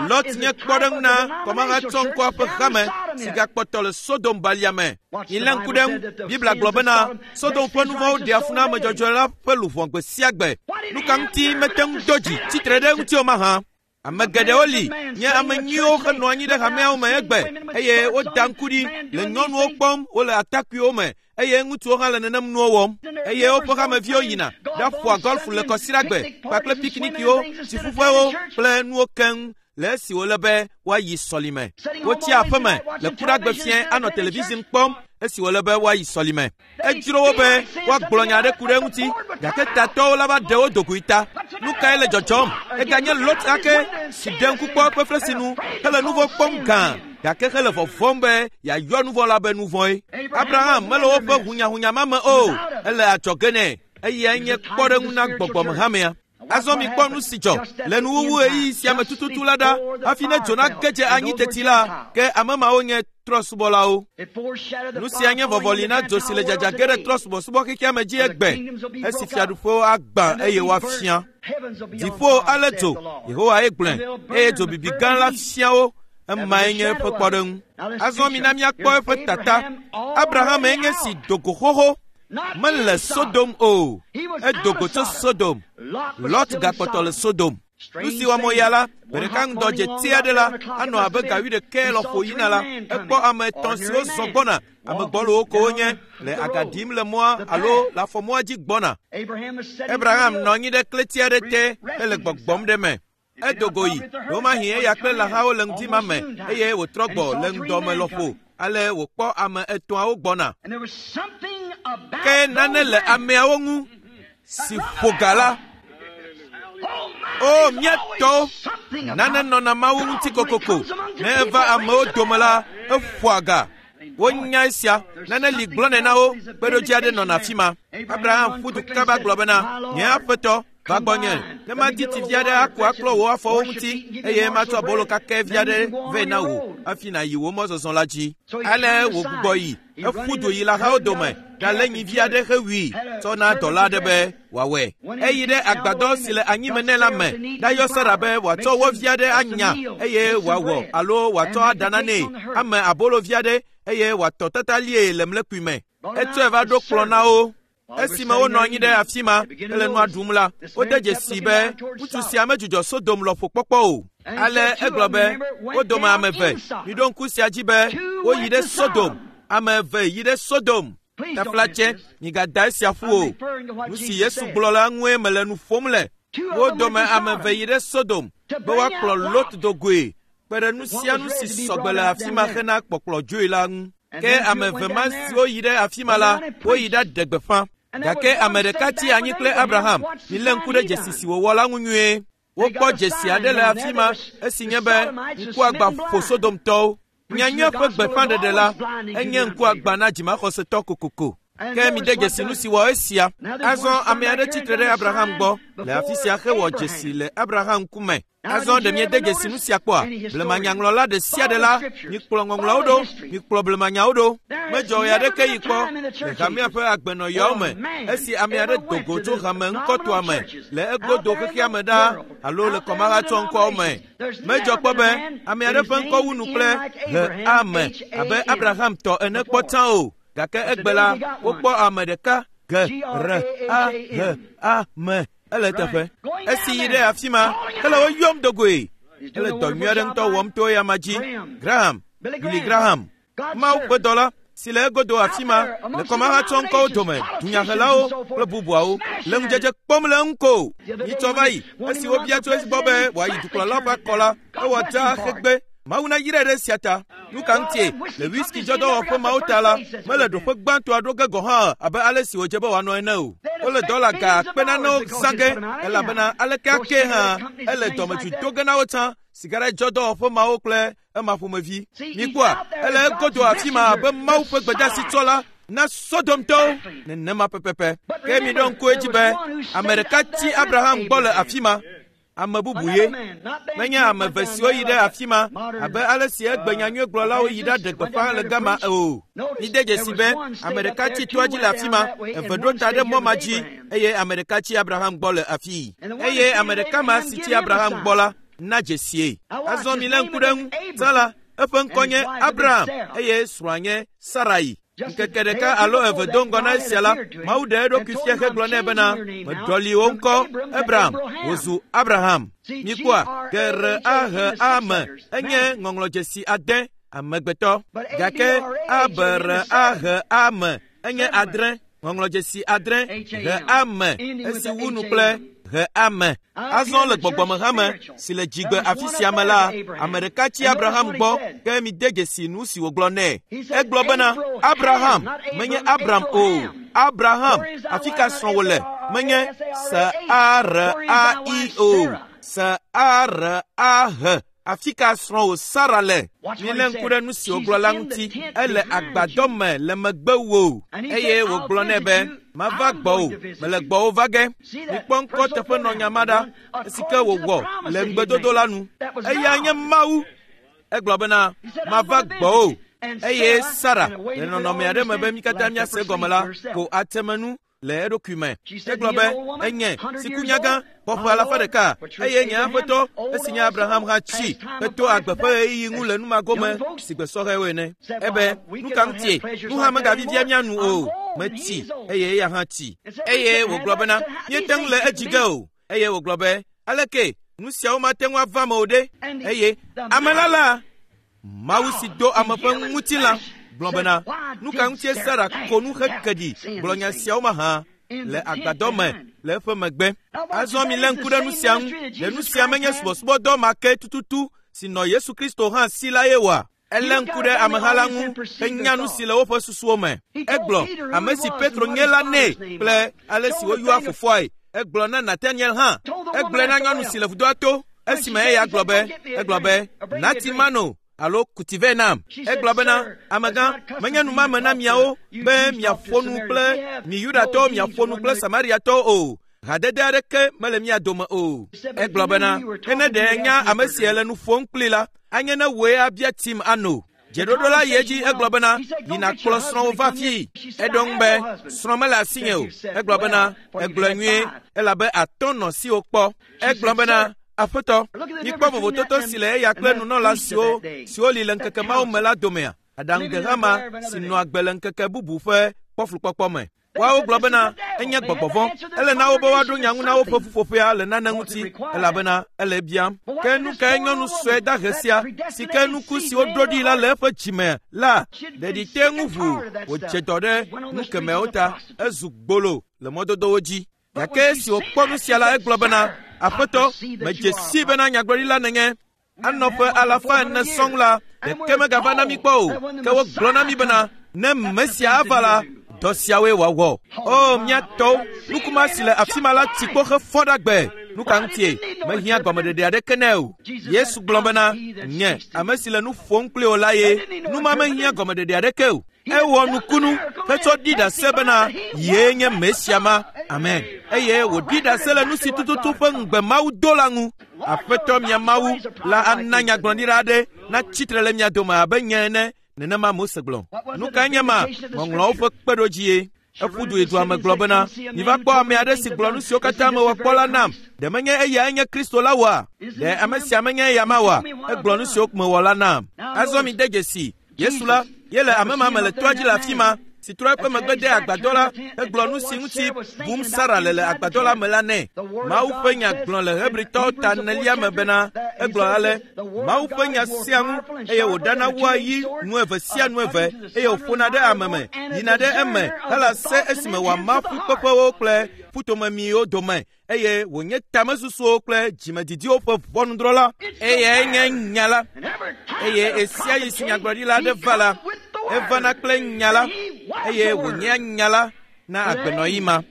Lot nye kpɔɖeŋu na kɔmahatsɔŋkɔa ƒe hame si gakpɔtɔ le Sodom balia me. Milé ŋku ɖe eŋu. Biblia gblɔ bena Sodom ƒe nu vɔ̃wo ɖea fu na ame dzɔdzɔe la ƒe luʋɔ gbe sia gbe. Nu ka ŋuti mete ŋu do dzi tsitre ɖe eŋuti o mahã? Ame geɖewo li nye ame nyuiwo henɔ anyi ɖe hameawo me egbe eye woda ŋku ɖi le nyɔnuwo kpɔm wole atakpuiwo me eye ŋutsuwo hã le nenem nuwo wɔm eye woƒe hameviwo yina ɖaƒoa gɔlfu le kɔsiɖagbe kpakple piknikiwo, tsiƒuƒewo kple nuwo keŋ le esi wòle be woayi sɔlime. Wotsia aƒeme le kuɖagbe fiẽ anɔ television kpɔm esi wòle be woayi sɔlime. Edzro wo be woagblɔ nya aɖe ku ɖe eŋuti, gake tatɔwo la va ɖe wo dogoe ta. Nu kae le dzɔdzɔm? Eganye Lot ake si ɖe ŋku kpɔ eƒe flesinu hele nu vɔ̃ kpɔm gã gake hele vɔvɔ̃m be yeayɔ nu vɔ̃ la be nu vɔ̃e. Abraham mele woƒe hunyahunya ma me o, ele adzɔge nɛ. Eyae nye kpɔɖeŋu na gbɔgbɔmehamea. Azɔ mikpɔ nu si dzɔ le nuwuwu ɣeyiɣi sia me tututu la ɖa. Hafi ne dzo nage dze anyi teti la, ke ame mawo nye trɔ̃subɔlawo. Nu sia nye vɔvɔli na dzo si le dzadza ge ɖe trɔ̃subɔsubɔ xexea me dzi egbe, esi fiaɖuƒewo agbã eye woafiã. Dziƒo alé dzo, Yehowa ye gblɔe, eye dzo bibi gã la fia wo. Emae nye eƒe kpɔɖeŋu. Azɔ mina míakpɔ eƒe tata. Abraham enye si do go xoxo. Mele Sodom o. Edo go tso Sodom. Lot gakpɔtɔ le Sodom. Nu si wɔm wòya la, gbe ɖeka ŋdɔ dze ti aɖe la, anɔ abe ga wuiɖekɛ lɔƒo yina la, ekpɔ ame etɔ̃ siwo zɔ gbɔna, ame gbɔlowo ko wonye, le aga ɖim le mɔa alo le afɔmɔa dzi gbɔna. Abraham nɔ anyi ɖe klẽti aɖe te hele gbɔgbɔm ɖe eme. Edo go yi, ɖewomahi eya kple lãhawo le ŋdi ma me eye wòtrɔ gbɔ le ŋdɔ me lɔƒo. Ale wòkpɔ ame etɔ̃awo gbɔna. Ke nane le ameawo ŋu si ƒo ga la. O, mía tɔwo, nane nɔna Mawu ŋuti kokoko. Ne eva amewo dome la, eƒoa ga. Wonya esia, nane li gblɔnɛ na wo, kpeɖodzi aɖe nɔna afi ma. Abraham ƒu du kaba gblɔ bena, nye aƒetɔ, va gbɔnye, ne madi tsi vi aɖe aku aklɔ wò afɔwo ŋuti, eye matsɔ abolo kakɛ vi aɖe vɛ na wò hafi nàyi wò mɔzɔzɔ la dzi. Ale wògbugbɔ yi, eƒu du yi lãhawo dome, ɖalé nyivi aɖe hewui, tsɔ na dɔla aɖe be wòawɔe. Eyi ɖe agbadɔ si le anyime nɛ la me, ɖayɔ Sara be wòatsɔ wɔ vi aɖe anya eye wòawɔ alo wòatsɔ aɖa nanɛ, ame abolo vi aɖe eye wòatɔ tatalie le mlekpui me. Etsɔe va ɖo kplɔ̃ na wo. Esime wonɔ anyi ɖe afi ma hele nua ɖum la, wode dzesii be ŋutsu sia medzudzɔ Sodom lɔƒo kpɔkpɔ o. Ale egblɔ be, wo dome ame eve, miɖo ŋku sia dzi be woyi ɖe Sodom. Ame eve yi ɖe Sodom. Taflatse, migada esia ƒu o. Nu si Yesu gblɔ la ŋue mele nu ƒom le. Wo dome ame eve yi ɖe Sodom be woakplɔ Lot do goe kpe ɖe nu sia nu si sɔgbe le afi ma hena kpɔkplɔ dzoe la ŋu. Ke ame eve ma siwo yi ɖe afi ma la, woyi ɖaɖe gbeƒã. Gake ame ɖeka tsi anyi kple Abraham. Milé ŋku ɖe dzesi si wòwɔ la ŋu nyuie. Wokpɔ dzesi aɖe le afi ma, esi nye be ŋkuagbã ƒo Sodomtɔwo. Nyanyuia ƒe gbeƒãɖeɖe la, enye ŋkuagbã na dzimaxɔsetɔ kokoko. Ke mide dzesi nu si wɔ esia. Azɔ ame aɖe tsitre ɖe Abraham gbɔ le afi sia hewɔ dzesi le Abraham ŋkume. Azɔ ɖe miede dzesi nu sia kpɔa? Blemanyaŋlɔla ɖe sia ɖe la, mikplɔ ŋɔŋlɔawo ɖo, mikplɔ blemanyawo ɖo. Medzɔ ɣe aɖeke yi kpɔ le hamea ƒe agbenɔɣiawo me esi ame aɖe do go tso hame ŋkɔtɔa me le egodo xexea me ɖaa alo le kɔmahatsɔ ŋkɔawo me. Medzɔ kpɔ be ame aɖe ƒe ŋkɔ wu nu kple he ame abe Abraham tɔ ene kpɔ tsã o. Gake egbe la, wokpɔ ame ɖeka ge re a he a me. Ele eteƒe. Esi yi ɖe afi ma, hele wo yɔm do goe. Ele dɔ nyui aɖe ŋutɔ wɔm to eyama dzi. Graham, Billy Graham, Mawu ƒe dɔla si le egodo afi ma le kɔmahatsɔ ŋkɔwo dome, dunyahelawo kple bubuawo le ŋudzedze kpɔm le eŋu ko. Nyitsɔ va yi, esi wobia tso esi gbɔ be wòayi dukplɔlawo ƒe akɔ la, ewɔ dzaa hegbe. Mawu nayrae ɖe esia ta. Nu ka ŋutie? Le whisky dzɔdɔwɔƒe mawo ta la, mele ɖoƒe gbãtɔa ɖo ge gɔ̃ hã abe ale si wòdze be wòanɔ ene o. Wole dɔla ga akpe nanewo zã ge elabena aleke ake hã ele dɔmedzoe do ge na wo tsã sigaret-dzɔdɔwɔƒe mawo kple ema ƒomevi. Mikpɔa, ele egodo afi ma abe Mawu ƒe gbedeasitsɔla na Sodomtɔwo nenema pɛpɛpɛ. Ke miɖo ŋku edzi be ame ɖeka tsi Abraham gbɔ le afi ma. Ame bubu ye. Menye ame eve siwo yi ɖe afi ma abe ale si egbe nyanyuiegblɔlawo yi ɖaɖe gbeƒã le gama o. Mide dzesi be ame ɖeka tsi toa dzi le afi ma, eve ɖo ta ɖe mɔ ma dzi eye ame ɖeka tsi Abraham gbɔ le afii. Eye ame ɖeka ma si tsi Abraham gbɔ la na dzesie. Azɔ milé ŋku ɖe eŋu. Tsã la, eƒe ŋkɔ nye Abraham eye srɔ̃a nye Sarai. Ŋkeke ɖeka alo eve do ŋgɔ na esia la, Mawu ɖe eɖokui fia hegblɔ nɛ bena, Meɖɔli wò ŋkɔ Ebram, wòzu Abraham. Mikpɔa, G R A H A M enye ŋɔŋlɔdzesi ade, amegbetɔ. Gake A B R A H A M enye adre, ŋɔŋlɔdzesi adre, H A M, esi wu nu kple H A M. Azɔ le gbɔgbɔmehame si le dzigbe afi sia me la, ame ɖeka tsi Abraham gbɔ, ke mide dzesi nu si wògblɔ nɛ. Egblɔ bena, Abraham, menye Abram o. Abraham, afi ka srɔ̃wò le? Menye S-A-R-A-I o. S-A-R-A-H. Afi ka srɔ̃wò Sara le? Milé ŋku ɖe nu si wògblɔ la ŋuti. Ele agbadɔ me le megbe wò. Eye wògblɔ nɛ be, Mava gbɔwò, mele gbɔwò va ge. Mikpɔ ŋkɔ teƒe nɔ nya ma ɖa, esi ke wòwɔ le ŋugbedodo la nu. Eya nye Mawu. Egblɔ bena, Mava gbɔwò. Eye Sara, le nɔnɔme aɖe me be mí katã míase egɔme la, ko atemenu le eɖokui me. Egblɔ be, Enye si ku nyagã, xɔ ƒe alafa ɖeka, eye nye aƒetɔ, esi nye Abraham hã tsi heto agbe ƒe ɣeyiɣi ŋu le nu ma gome si gbe sɔhɛwo ene. Ebe, nu ka ŋutie? Nu hã megavivia mía nu o. Metsi, eye eya hã tsi. Eye wògblɔ bena, míete ŋu le edzi ge o. Eye wògblɔ be, aleke nu siawo mate ŋu ava me o ɖe? Eye ame la la, Mawu si do ame ƒe ŋutilã, gblɔ bena, nu ka ŋutie Sara ko nu heke ɖi gblɔ nya siawo mahã le agbadɔ me le eƒe megbe? Azɔ milé ŋku ɖe nu sia ŋu. Ɖe nu sia menye subɔsubɔdɔ ma ke tututu si nɔ Yesu Kristo hã si la ye oa? Elé ŋku ɖe ameha la ŋu henya nu si le woƒe susuwo me. Egblɔ ame si Petro nye la nɛ kple ale si woyɔa fofoae. Egblɔ na Nataniel hã. Egblɔe na nyɔnu si le vudoa to esime eya gblɔ be, egblɔ be, Nati mano alo kuti vɛ nam. Egblɔ bena, amegã, menye numame na miawo be miaƒo nu kple mi Yudatɔwo miaƒo nu kple Samariatɔwo o. Hadede aɖeke mele mia dome o. Egblɔ bena, ke ne ɖe nya ame si le nu ƒom kpli la, anye ne wòe abia tim ano. Dzeɖoɖo la yi edzi egblɔ bena, yi nàkplɔ srɔ̃wò va fii. Eɖo ŋu be, srɔ̃ mele asinye o. Egblɔ bena, egblɔe nyuie elabe atɔ̃ nɔ siwò kpɔ. Egblɔ bena, aƒetɔ, mikpɔ vovototo si le eya kple nunɔla siwo siwo li le ŋkeke mawo me la domea? Aɖaŋudehama si nɔa agbe le ŋkeke bubu ƒe kpɔflukpɔkpɔ me. Woawo gblɔ bena enye gbɔgbɔ vɔ̃. Ele na wo be woaɖo nya ŋu na woƒe ƒuƒoƒea le nane ŋuti elabena ele biam. Ke nu kae nyɔnu sue dahe sia si ke nuku si woɖo ɖi la le eƒe dzime la ɖeɖi te ŋu ʋuu wòdze dɔ ɖe nu kemɛwo ta ezu gbolo le mɔdodowo dzi. Gake esi wòkpɔ nu sia la egblɔ bena, Aƒetɔ, medze sii bena nyagblɔɖila nènye. Anɔ ƒe alafa ene sɔŋ la, ɖeke megava na mí kpɔ o. Ke wogblɔ na mí bena, ne Mesia ava la, dɔ siawoe wòawɔ. O, mía tɔwo, nukuma si le afi ma la tsi kpo hefɔ ɖe agbe. Nu ka ŋutie? Mehiã gɔmeɖeɖe aɖeke nɛ o. Yesu gblɔ bena, nye ame si le nu ƒom kpli wò la ye. Nu ma mehiã gɔmeɖeɖe aɖeke o. Ewɔ nukunu hetsɔ ɖi ɖase bena yee nye Mesia ma. Amen. Eye wòɖi ɖase le nu si tututu ƒe ŋugbe Mawu do la ŋu. Aƒetɔ mia Mawu la ana nyagblɔɖila aɖe natsi tre le mia dome abe nye ene. Nenema Mose gblɔ. Nu kae nye ma? Ŋɔŋlɔawo ƒe kpeɖodzi Eƒu du yi dua me gblɔ bena, miva kpɔ ame aɖe si gblɔ nu siwo katã mewɔ kpɔ la nam. Ɖe menye eyae nye Kristo la oa? Ɖe ame sia menye eya ma oa? Egblɔ nu siwo mewɔ la nam. Azɔ mi de dzesi, Yesu la, ye le ame ma me le toa dzi le afi ma, si trɔ eƒe megbe de agbadɔ la, hegblɔ nu si ŋuti bum Sara le le agbadɔ la me la nɛ. Mawu ƒe nya gblɔ le Hebritɔwo ta enelia me bena, egblɔ ale, Mawu ƒe nya sia ŋu eye wòɖana wua yi nu eve sia nu eve eye wòƒona ɖe ame me, yina ɖe eme hele se esime wòama ƒukpeƒewo kple ƒutomemiwo dome eye wònye tamesusuwo kple dzimedidiwo ƒe ʋɔnudrɔ̃la. Eyae nye nya la. Eye ɣesia ɣi si nyagblɔɖila aɖe va la, evana kple nya la eye wònyea nya la na agbenɔɣi ma.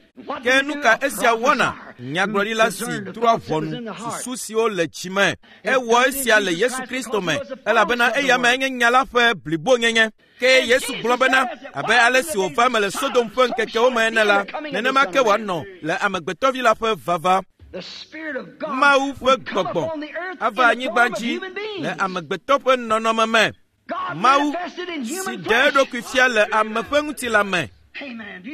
Ke nu ka esia wɔna? Nyagblɔɖila si drɔ̃a ʋɔnu susu siwo le dzi me. Ewɔ esia le Yesu Kristo me elabena eya mae nye nya la ƒe blibonyenye. Ke Yesu gblɔ bena, abe ale si wòva eme le Sodom ƒe ŋkekewo me ene la, nenema ke wòanɔ le Amegbetɔvi la ƒe vava. Mawu ƒe gbɔgbɔ ava anyigba dzi le amegbetɔ ƒe nɔnɔme me. Mawu si ɖe eɖokui fia le ame ƒe ŋutilã me.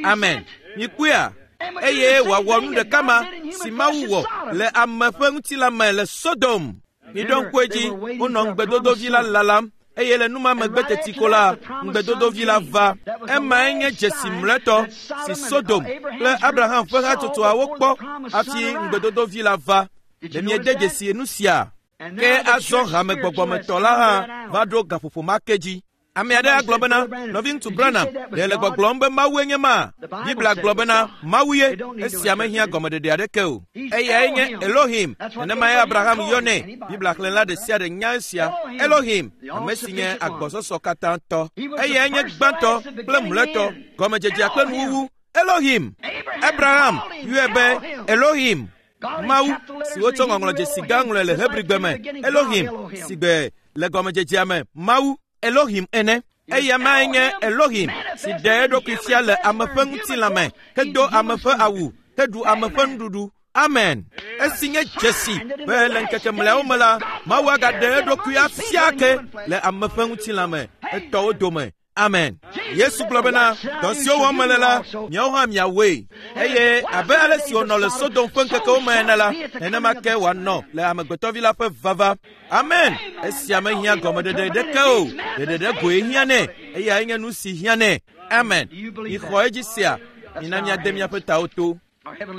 Amen. Mikpɔea? Eye wòawɔ nu ɖeka ma si Mawu wɔ le ame ƒe ŋutilã me le Sodom. Miɖo ŋku edzi, wonɔ ŋugbedodovi la lalam eye le nu ma megbe teti ko la, ŋugbedodovi la va. Emae nye dzesi mlɔetɔ si Sodom kple Abraham ƒe hatsotsoawo kpɔ hafi ŋugbedodovi la va. Ɖe miede dzesi nu sia? Ke azɔ hame gbɔgbɔmetɔ la hã va ɖo gaƒoƒo ma ke dzi. Ame aɖe agblɔ bena, nɔviŋutsu Branham, ɖe le gbɔgblɔm be Mawue nye ma? Biblia gblɔ bena, Mawu ye. Esia mehiã gɔmeɖeɖe aɖeke o. Eyae nye Elohim. Nenemae Abraham yɔnɛ. Biblia xlẽla ɖe sia ɖe nya esia. Elohim, ame si nye agbɔsɔsɔ katã tɔ. Eyae nye gbãtɔ kple mlɔetɔ, gɔmedzedzea kple nuwuwu. Elohim. Abraham yɔe be Elohim. Mawu si wotsɔ ŋɔŋlɔdzesi gã ŋlɔe le Hebrigbe me, Elohim, si gbe le gɔmedzedzea me Mawu, Elohim ene. Eya mae nye Elohim si ɖe eɖokui fia le ame ƒe ŋutilã me, hedo ame ƒe awu, heɖu ame ƒe nuɖuɖu. Amen. Esi nye dzesi be le ŋkeke mlɔeawo me la, Mawu agaɖe eɖokui afia ke le ame ƒe ŋutilã me, etɔwo dome. Amen. Yesu gblɔ bena, dɔ siwo wɔm mele la, miawo hã miawɔe. Eye abe ale si wònɔ le Sodom ƒe ŋkekewo me ene la, nenema ke wòanɔ le Amegbetɔvi la ƒe vava. Amen. Esia mehiã gɔmeɖeɖe ɖeke o. Ɖeɖeɖe goe hiã nɛ. Eyae nye nu si hiã nɛ. Amen. Mixɔ edzi sia. Mina míade míaƒe tawo to.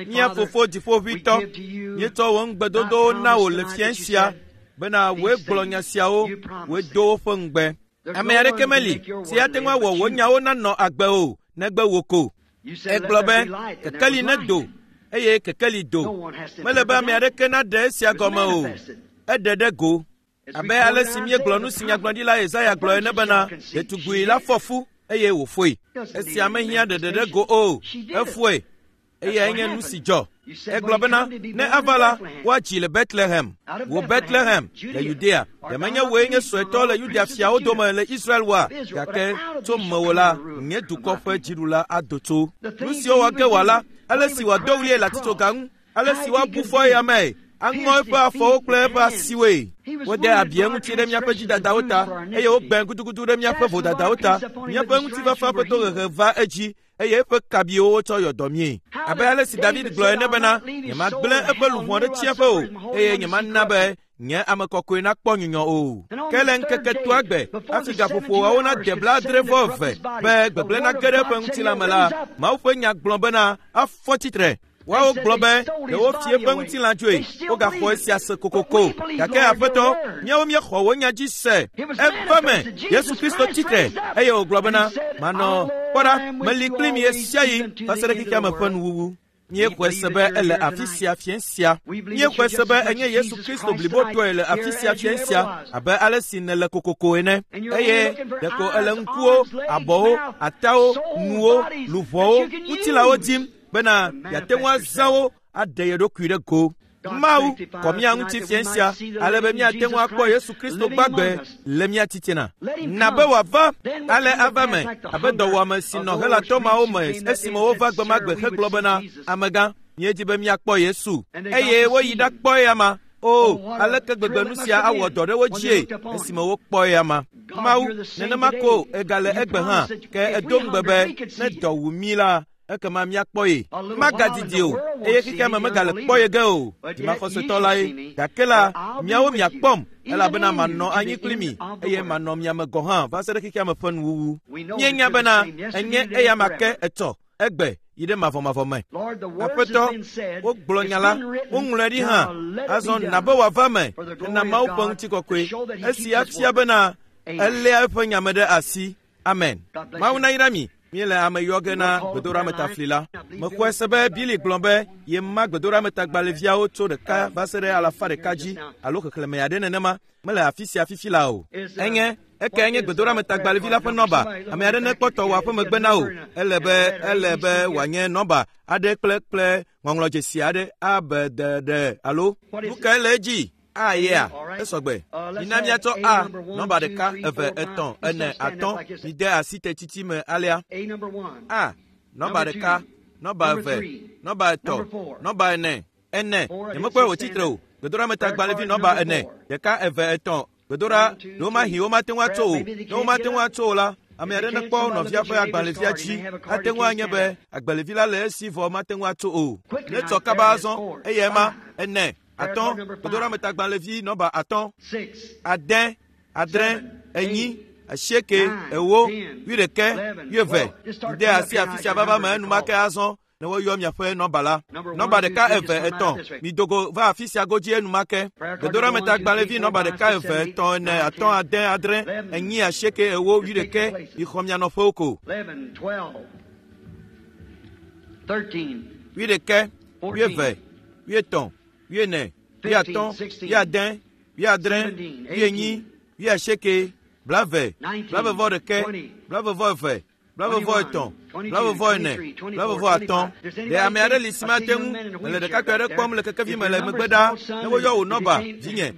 Mía Fofo Dziƒoʋĩtɔ, míetsɔ wò ŋugbedodowo na wò le fiẽ sia bena wòe gblɔ nya siawo, wòe do woƒe ŋugbe. Ame aɖeke meli si ate ŋu awɔ wò nyawo nanɔ agbe o, negbe wò ko. Egblɔ be, kekeli nedo, eye kekeli do. Mele be ame aɖeke naɖe esia gɔme o. Eɖe ɖe go. Abe ale si míegblɔ nu si nyagblɔɖila Yesaya gblɔ ene bena, ɖetugbui la fɔ fu eye wòfoe. Esia mehiã ɖeɖe ɖe go o. Efoe. Eyae nye nu si dzɔ. Egblɔ bena ne ava la, woadzi le Betlehem. Wò Betlehem le Yudea, ɖe menye wòe nye suetɔ le Yudea fiawo dome le Israel oa? Gake tso mewò la, nye dukɔ ƒe dziɖula ado tso. Nu siwo wɔ ge wòala, ale si wòado ɣlie le atitsoga ŋu, ale si woabu fɔ eya mee, aŋɔ eƒe afɔwo kple eƒe asiwoe. Wode abi eŋuti ɖe míaƒe dzidadawo ta, eye wogbẽ gudugudu ɖe míaƒe vodadawo ta. Míaƒe ŋutifafa ƒe tohehe va edzi, eye eƒe kabiwo wotsɔ yɔ dɔ míe. Abe ale si David gblɔ ene bena, nyemagblẽ eƒe luʋɔ ɖe tsiẽƒe o, eye nyemana be nye ame kɔkɔe nakpɔ nyunyɔ o. Ke le ŋkeke toa gbe, hafi gaƒoƒoawo nade 70 be gbegblẽ nage ɖe eƒe ŋutilã me la, Mawu ƒe nya gblɔ bena afɔ tsitre. Woawo gblɔ be ɖewo fie ƒe ŋutilã dzoe, wogaxɔ esia se kokoko. Gake Aƒetɔ, míawo míexɔ wò nya dzi se. Eva me, Yesu Kristo tsitre, eye wògblɔ bena, manɔ, kpɔ ɖa, meli kpli mi ɣesiaɣi va se ɖe xexea me ƒe nuwuwu. Míexɔe se be ele afi sia fiẽ sia. Míexɔe se be enye Yesu Kristo blibotɔe le afi sia fiẽ sia, abe ale si nèle kokoko ene. Eye ɖeko ele ŋkuwo, abɔwo, atawo, nuwo, luʋɔwo, ŋutilãwo dim bena yeate ŋu azã wo aɖe ye ɖokui ɖe go. Mawu kɔ mía ŋuti fiẽ sia ale be míate ŋu akpɔ Yesu Kristo gbagbe le mía titina. Na be wòava ale ava me abe dɔwɔame si nɔ Helatɔ mawo me esime wova gbemagbe hegblɔ bena, amegã, míedi be míakpɔ Yesu. Eye woyi ɖakpɔ eyama. O, aleke gbegbe nu sia awɔ dɔ ɖe wo dzie esime wokpɔ eyama. Mawu, nenema ko egale egbe hã, ke edo ŋugbe be ne dɔ wu mí la, ekema míakpɔ ye. Magadidi o, eye xexea me megale kpɔ ye ge o. Dzimaxɔsetɔ lae. Gake la, miawo miakpɔm, elabena manɔ anyi kpli mi, eye manɔ mia me gɔ̃ hã va se ɖe xexea me ƒe nuwuwu. Míenya bena enye eyama ke etsɔ, egbe, yi ɖe mavɔmavɔ me. Aƒetɔ, wogblɔ nya la, woŋlɔe ɖi hã. Azɔ na be wòava me hena Mawu ƒe ŋutikɔkɔe, esi afia bena eléa eƒe nya me ɖe asi. Amen. Mawu nayra mi. Míele ame yɔ ge na gbedoɖametafli la. Mexɔe se be Billy gblɔ be yema gbedoɖametagbalẽviawo tso 1 va se ɖe 100 dzi alo xexlẽme aɖe nenema. Mele afi sia fifi la o. Enye eke nye gbedoɖametagbalẽvi la ƒe nɔba. Ame aɖe nekpɔ tɔwò aƒe megbe na wò. Ele be wòanye nɔba aɖe kple ŋɔŋlɔdzesi aɖe A B D D alo nu kae le edzi? A yea, esɔgbe. Mina míatsɔ A nɔba 1 2 3 4 5 mide asi tetsitsi me alea. A nɔba 1, nɔba 2, nɔba 3, nɔba 4, 4. Nyemekpɔe wòtsitre o. Gbedoɖametagbalẽvi nɔba 4, 1 2 3. Gbedoɖa, ɖewo mahi womate ŋu atso o. Ne womate ŋu atso o la, ame aɖe nekpɔ nɔvia ƒe agbalẽvia dzi. Ate ŋu anye be agbalẽvi la le esi vɔ mate ŋu atso o. Netsɔ kaba azɔ, eye ema 4, 5, gbedoɖametagbalẽvi nɔba 5, 6, 7, 8, 8, 11, 12. Mide asi afi sia vava me enumake azɔ ne woyɔ miaƒe nɔba la. Nɔba 1 2 3. Midogo va afi sia godzi enumake. Gbedoɖametagbalẽvi nɔba 1 2 3 4 5 6 7 8 8 11. Mixɔ mia nɔƒewo ko. 11, 12, 13, 11, 12, 13, 14, 15, 16, 17, 18, 20, 21, 22, 23, 24, 25. Ɖe ame aɖe li si mate ŋu mele ɖekakpui aɖe kpɔm le kekevi me le megbe ɖaa ne woyɔ wò nɔba dzinye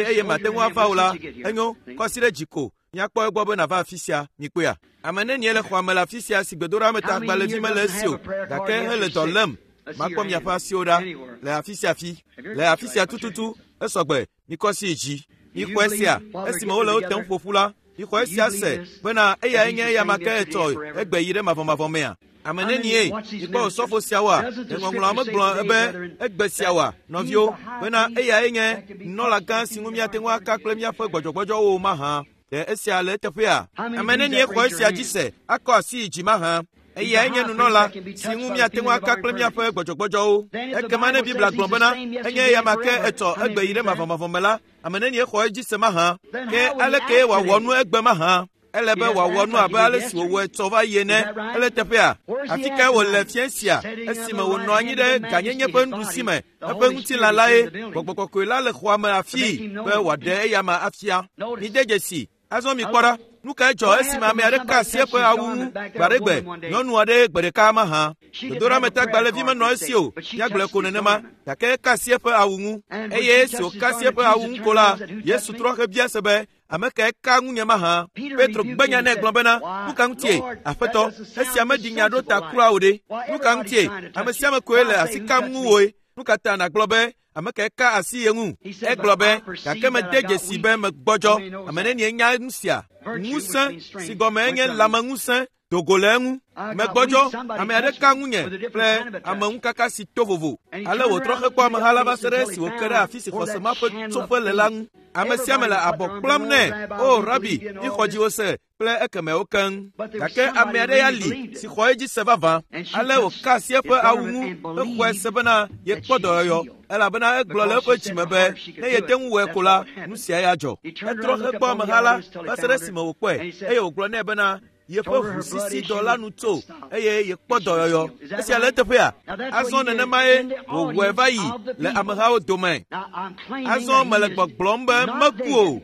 eye mate ŋu ava o la, enyo, kɔ asi ɖe dzi ko. Míakpɔ egbɔ be nàva afi sia, mikpɔea? Ame nenie le xɔa me le afi sia si gbedoɖametagbalẽvi mele esi o, gake hele dɔ lém. Makpɔ miaƒe asiwo ɖa le afi sia fi. Le afi sia tututu, esɔgbe, mikɔ asi yi dzi. Mixɔe sia, esime wole wo tem ƒoƒu la, mixɔe sia se bena eyae nye eyama ke etsɔ egbe yi ɖe mavɔmavɔ mea. Ame nenie mikpɔ osɔfo siawoa? Ɖe ŋɔŋlɔa megblɔ be egbe siawoa, nɔviwo, bena eyae nye nunɔlagã si ŋu míate ŋu aka kple míaƒe gbɔdzɔgbɔdzɔwo mahã. Ɖe esia le eteƒea? Ame nenie xɔ esia dzi se akɔ asi yi dzi mahã? Eyae nye nunɔla si ŋu míate ŋu aka kple míaƒe gbɔdzɔgbɔdzɔwo. Ekema ne Biblia gblɔ bena enye eyama ke etsɔ egbe yi ɖe mavɔmavɔ me la, ame nenie xɔ edzi se mahã? Ke aleke wòawɔ nu egbe mahã? Ele be wòawɔ nu abe ale si wòwɔ etsɔ va yi ene. Ele teƒea? Afi kae wòle fiẽ sia esime wònɔ anyi ɖe gãnyenye ƒe nuɖusi me? Eƒe ŋutilã lae. Gbɔgbɔ kɔkɔe la le xɔa me afii be wòaɖe eyama afia. Mide dzesi. Azɔ mikpɔ ɖa, nu kae dzɔ esime ame aɖe ka asi eƒe awu ŋu gbaɖegbe nyɔnu aɖe gbe ɖeka mahã? Gbedoɖametagbalẽvi menɔ esi o, míagblɔe ko nenema, gake eka asi eƒe awu ŋu. Eye esi wòka asi eƒe awu ŋu ko la, Yesu trɔ hebia se be, ame kae ka ŋunye mahã? Petro gbe nya nɛ gblɔ bena, nu ka ŋutie, Aƒetɔ, esia meɖi nya ɖo ta kura o ɖe? Nu ka ŋutie, ame sia ame koe le asi kam ŋuwòe? Nu ka ta nàgblɔ be, ame kae ka asi ye ŋu? Egblɔ be, gake mede dzesi be megbɔdzɔ. Ame nenie nya nu sia? Ŋusẽ si gɔme nye lãmeŋusẽ do go le eŋu. Megbɔdzɔ, ame aɖe ka ŋunye kple ameŋukaka si to vovo. Ale wòtrɔ hekpɔ ameha la va se ɖe esi wòke ɖe afi si xɔse ma ƒe tsoƒe le la ŋu. Ame sia ame le abɔ kplam nɛ, O Rabi, míxɔ dziwò se kple ekemewo keŋ. Gake ame aɖe ya li si xɔ edzi se vavã. Ale wòka asi eƒe awu ŋu hexɔe se bena yekpɔ dɔyɔyɔ, elabena egblɔ le eƒe dzime be ne yete ŋu wɔe ko la, nu sia ya dzɔ. Etrɔ hekpɔ ameha la va se ɖe esime wòkpɔe, eye wògblɔ nɛ bena yeƒe ʋusisi dɔ la nu tso eye yekpɔ dɔyɔyɔ. Esia le eteƒea? Azɔ nenemae wòwɔe va yi le amehawo dome. Azɔ mele gbɔgblɔm be meku o.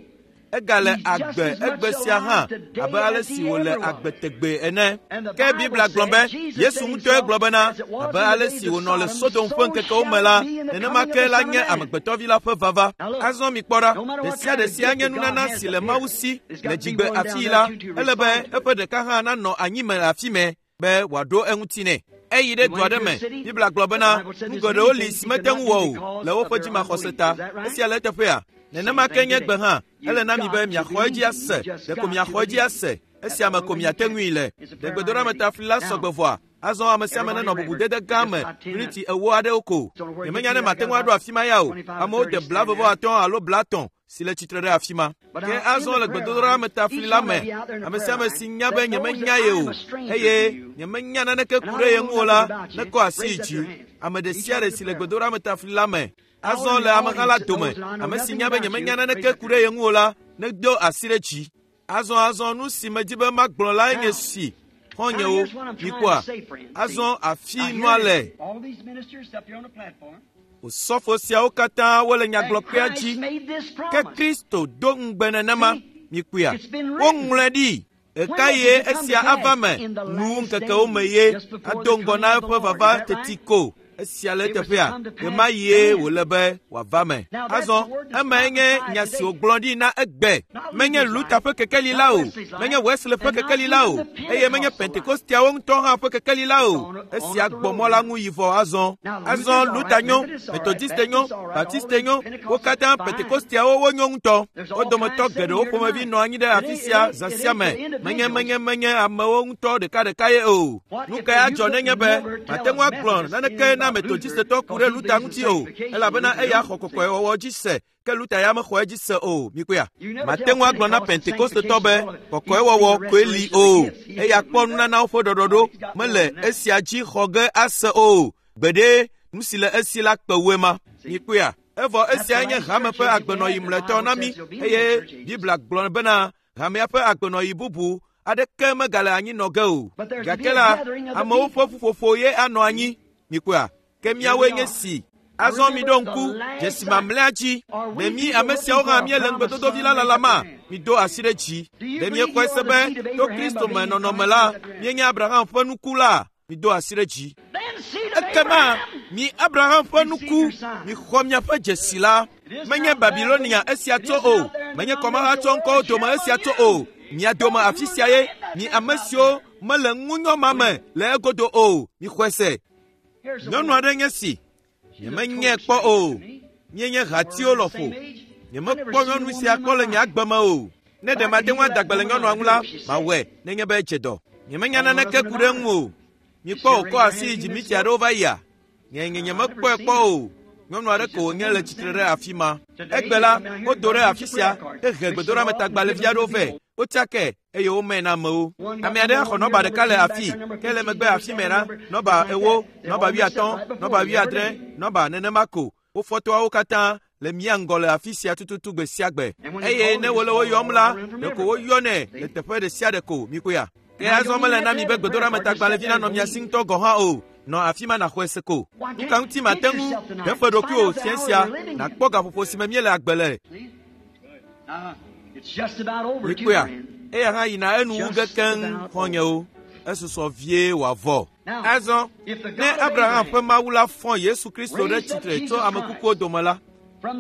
Egale agbe egbe sia hã abe ale si wòle agbe tegbee ene. Ke Biblia gblɔ be Yesu ŋutɔe gblɔ bena abe ale si wònɔ le Sodom ƒe ŋkekewo me la, nenema ke la nye amegbetɔvi la ƒe vava. Azɔ mikpɔ ɖa, ɖe sia ɖe sia nye nunana si le Mawu si le dzigbe afii la, ele be eƒe ɖeka hã nanɔ anyi me le afi mɛ be wòaɖo eŋuti nɛ. Eyi ɖe du aɖe me. Biblia gblɔ bena nu geɖewo li si mete ŋu wɔ o le woƒe dzimaxɔse ta. Esia le eteƒea? Nenema ke nye gbe hã, ele na mi be miaxɔ edzi ase, ɖeko miaxɔ edzi ase, esia me ko miate ŋui le. Ɖe gbedoɖametafli la sɔgbe vɔa? Azɔ ame sia ame nenɔ bubudede gã me miniti ewo aɖewo ko. Nyemenya ne mate ŋu aɖo afi ma ya o. Amewo de 20 alo 50 si le tsitre ɖe afi ma. Ke azɔ le gbedodoɖa me tafli la me, ame sia ame si nya be nyemenya ye o, eye nyemenya naneke ku ɖe ye ŋu o la, nekɔ asi yi dzi. Ame ɖe sia ɖe si le gbedodoɖa me tafli la me, azɔ le ameha la dome, ame si nya be nyemenya naneke ku ɖe ye ŋu o la, nedo asi ɖe dzi. Azɔ nu si medi be magblɔ lae nye si, xɔ̃nyewo, mikpɔa, azɔ afi nua le. Osɔfo siawo katã wole nyagblɔkpea dzi, ke Kristo do ŋugbe nenema, mikpɔa, woŋlɔe ɖi. Ɣekaɣie esia ava me? Nuwu ŋkekewo me ye ado ŋgɔ na eƒe vava teti ko. Esia le eteƒea, ɣemaɣie wòle be wòava me. Azɔ, emae nye nya si wògblɔ ɖi na egbe. Menye Luther ƒe kekeli la o, menye Wesley ƒe kekeli la o, eye menye Pentekosteawo ŋutɔ hã ƒe kekeli la o. Esia gbɔ mɔ la ŋu yi vɔ azɔ. Azɔ Luther nyo, Methodiste nyo, Baptiste nyo, wo katã Pentekosteawo wonyo ŋutɔ. Wo dometɔ geɖewo ƒomevi nɔ anyi ɖe afi sia zã sia me. Menye menye menye amewo ŋutɔ ɖekaɖeka ye o. Nu kae adzɔ nenye be mate ŋu agblɔ naneke na Methodistetɔ ku ɖe Luther ŋuti o, elabena eya xɔ kɔkɔewɔwɔ dzi se, ke Luther ya mexɔ edzi se o. Mikpɔea? Mate ŋu agblɔ na Pentekostetɔ be kɔkɔewɔwɔ koe li o, eya kpɔ nunanawo ƒe ɖɔɖɔɖo mele esia dzi xɔ ge ase o. Gbeɖe, nu si le esi la kpe wue ma. Mikpɔea? Evɔ esiae nye hame ƒe agbenɔɣi mlɔetɔ na mí, eye Biblia gblɔ bena hamea ƒe agbenɔɣi bubu aɖeke megale anyi nɔ ge o. Gake la, amewo ƒe ƒuƒoƒo ye anɔ anyi. Mikpɔea? Ke míawoe nye si. Azɔ miɖo ŋku dzesi mamlɛa dzi. Ɖe mí ame siawo hã míele ŋugbedodovi la lalama? Mido asi ɖe dzi. Ɖe míexɔe se be to Kristo me nɔnɔme la, míenye Abraham ƒe nuku la? Mido asi ɖe dzi. Ekema mi Abraham ƒe nuku, mixɔ miaƒe dzesi la. Menye Babilonia esia tso o, menye kɔmahatsɔŋkɔwo dome esia tso o. Mia dome afi sia ye, mi ame siwo mele ŋunyɔ ma me le egodo o, mixɔe se. Nyɔnu aɖe nye si, nyemenyae kpɔ o. Míenye hatiwo lɔƒo. Nyemekpɔ nyɔnu sia kpɔ le nye agbe me o. Ne ɖe mate ŋu ada gbe le nyɔnua ŋu la, mawɔe nenye be edze dɔ. Nyemenya naneke ku ɖe eŋu o. Mikpɔ wòkɔ asi yi dzi miti aɖewo va yia? Nye nye nyemekpɔe kpɔ o. Nyɔnu aɖe ko wònye le tsitre ɖe afi ma. Egbe la, wodo ɖe afi sia hehe gbedoɖametagbalẽvi aɖewo vɛ. Wotsakae eye womãe na amewo. Ame aɖe axɔ nɔba ɖeka le afii, ke le megbe afi mɛ la, nɔba 40, nɔba 80, nɔba 70, nɔba nenema ko. Wofɔtɔawo katã le mía ŋgɔ le afi sia tututu gbe sia gbe. Eye ne wole wo yɔm la, ɖeko woyɔnɛ le teƒe ɖe sia ɖe ko. Mikpɔea? Ke azɔ mele na mi be gbedoɖametagbalẽvi nanɔ mia si ŋutɔ gɔ̃ hã o. Nɔ afi ma nàxɔe se ko. Nu ka ŋuti mate ŋu ɖe ƒe ɖokuiwò fiẽ sia nàkpɔ gaƒoƒo si me míele agbe le? Mikpɔea, eya hã yina enu wu ge keŋ xɔ̃nyewo. Esusɔ vie wòavɔ. Azɔ, ne Abraham ƒe Mawu la fɔ Yesu Kristo ɖe tsitre tso ame kukuwo dome la,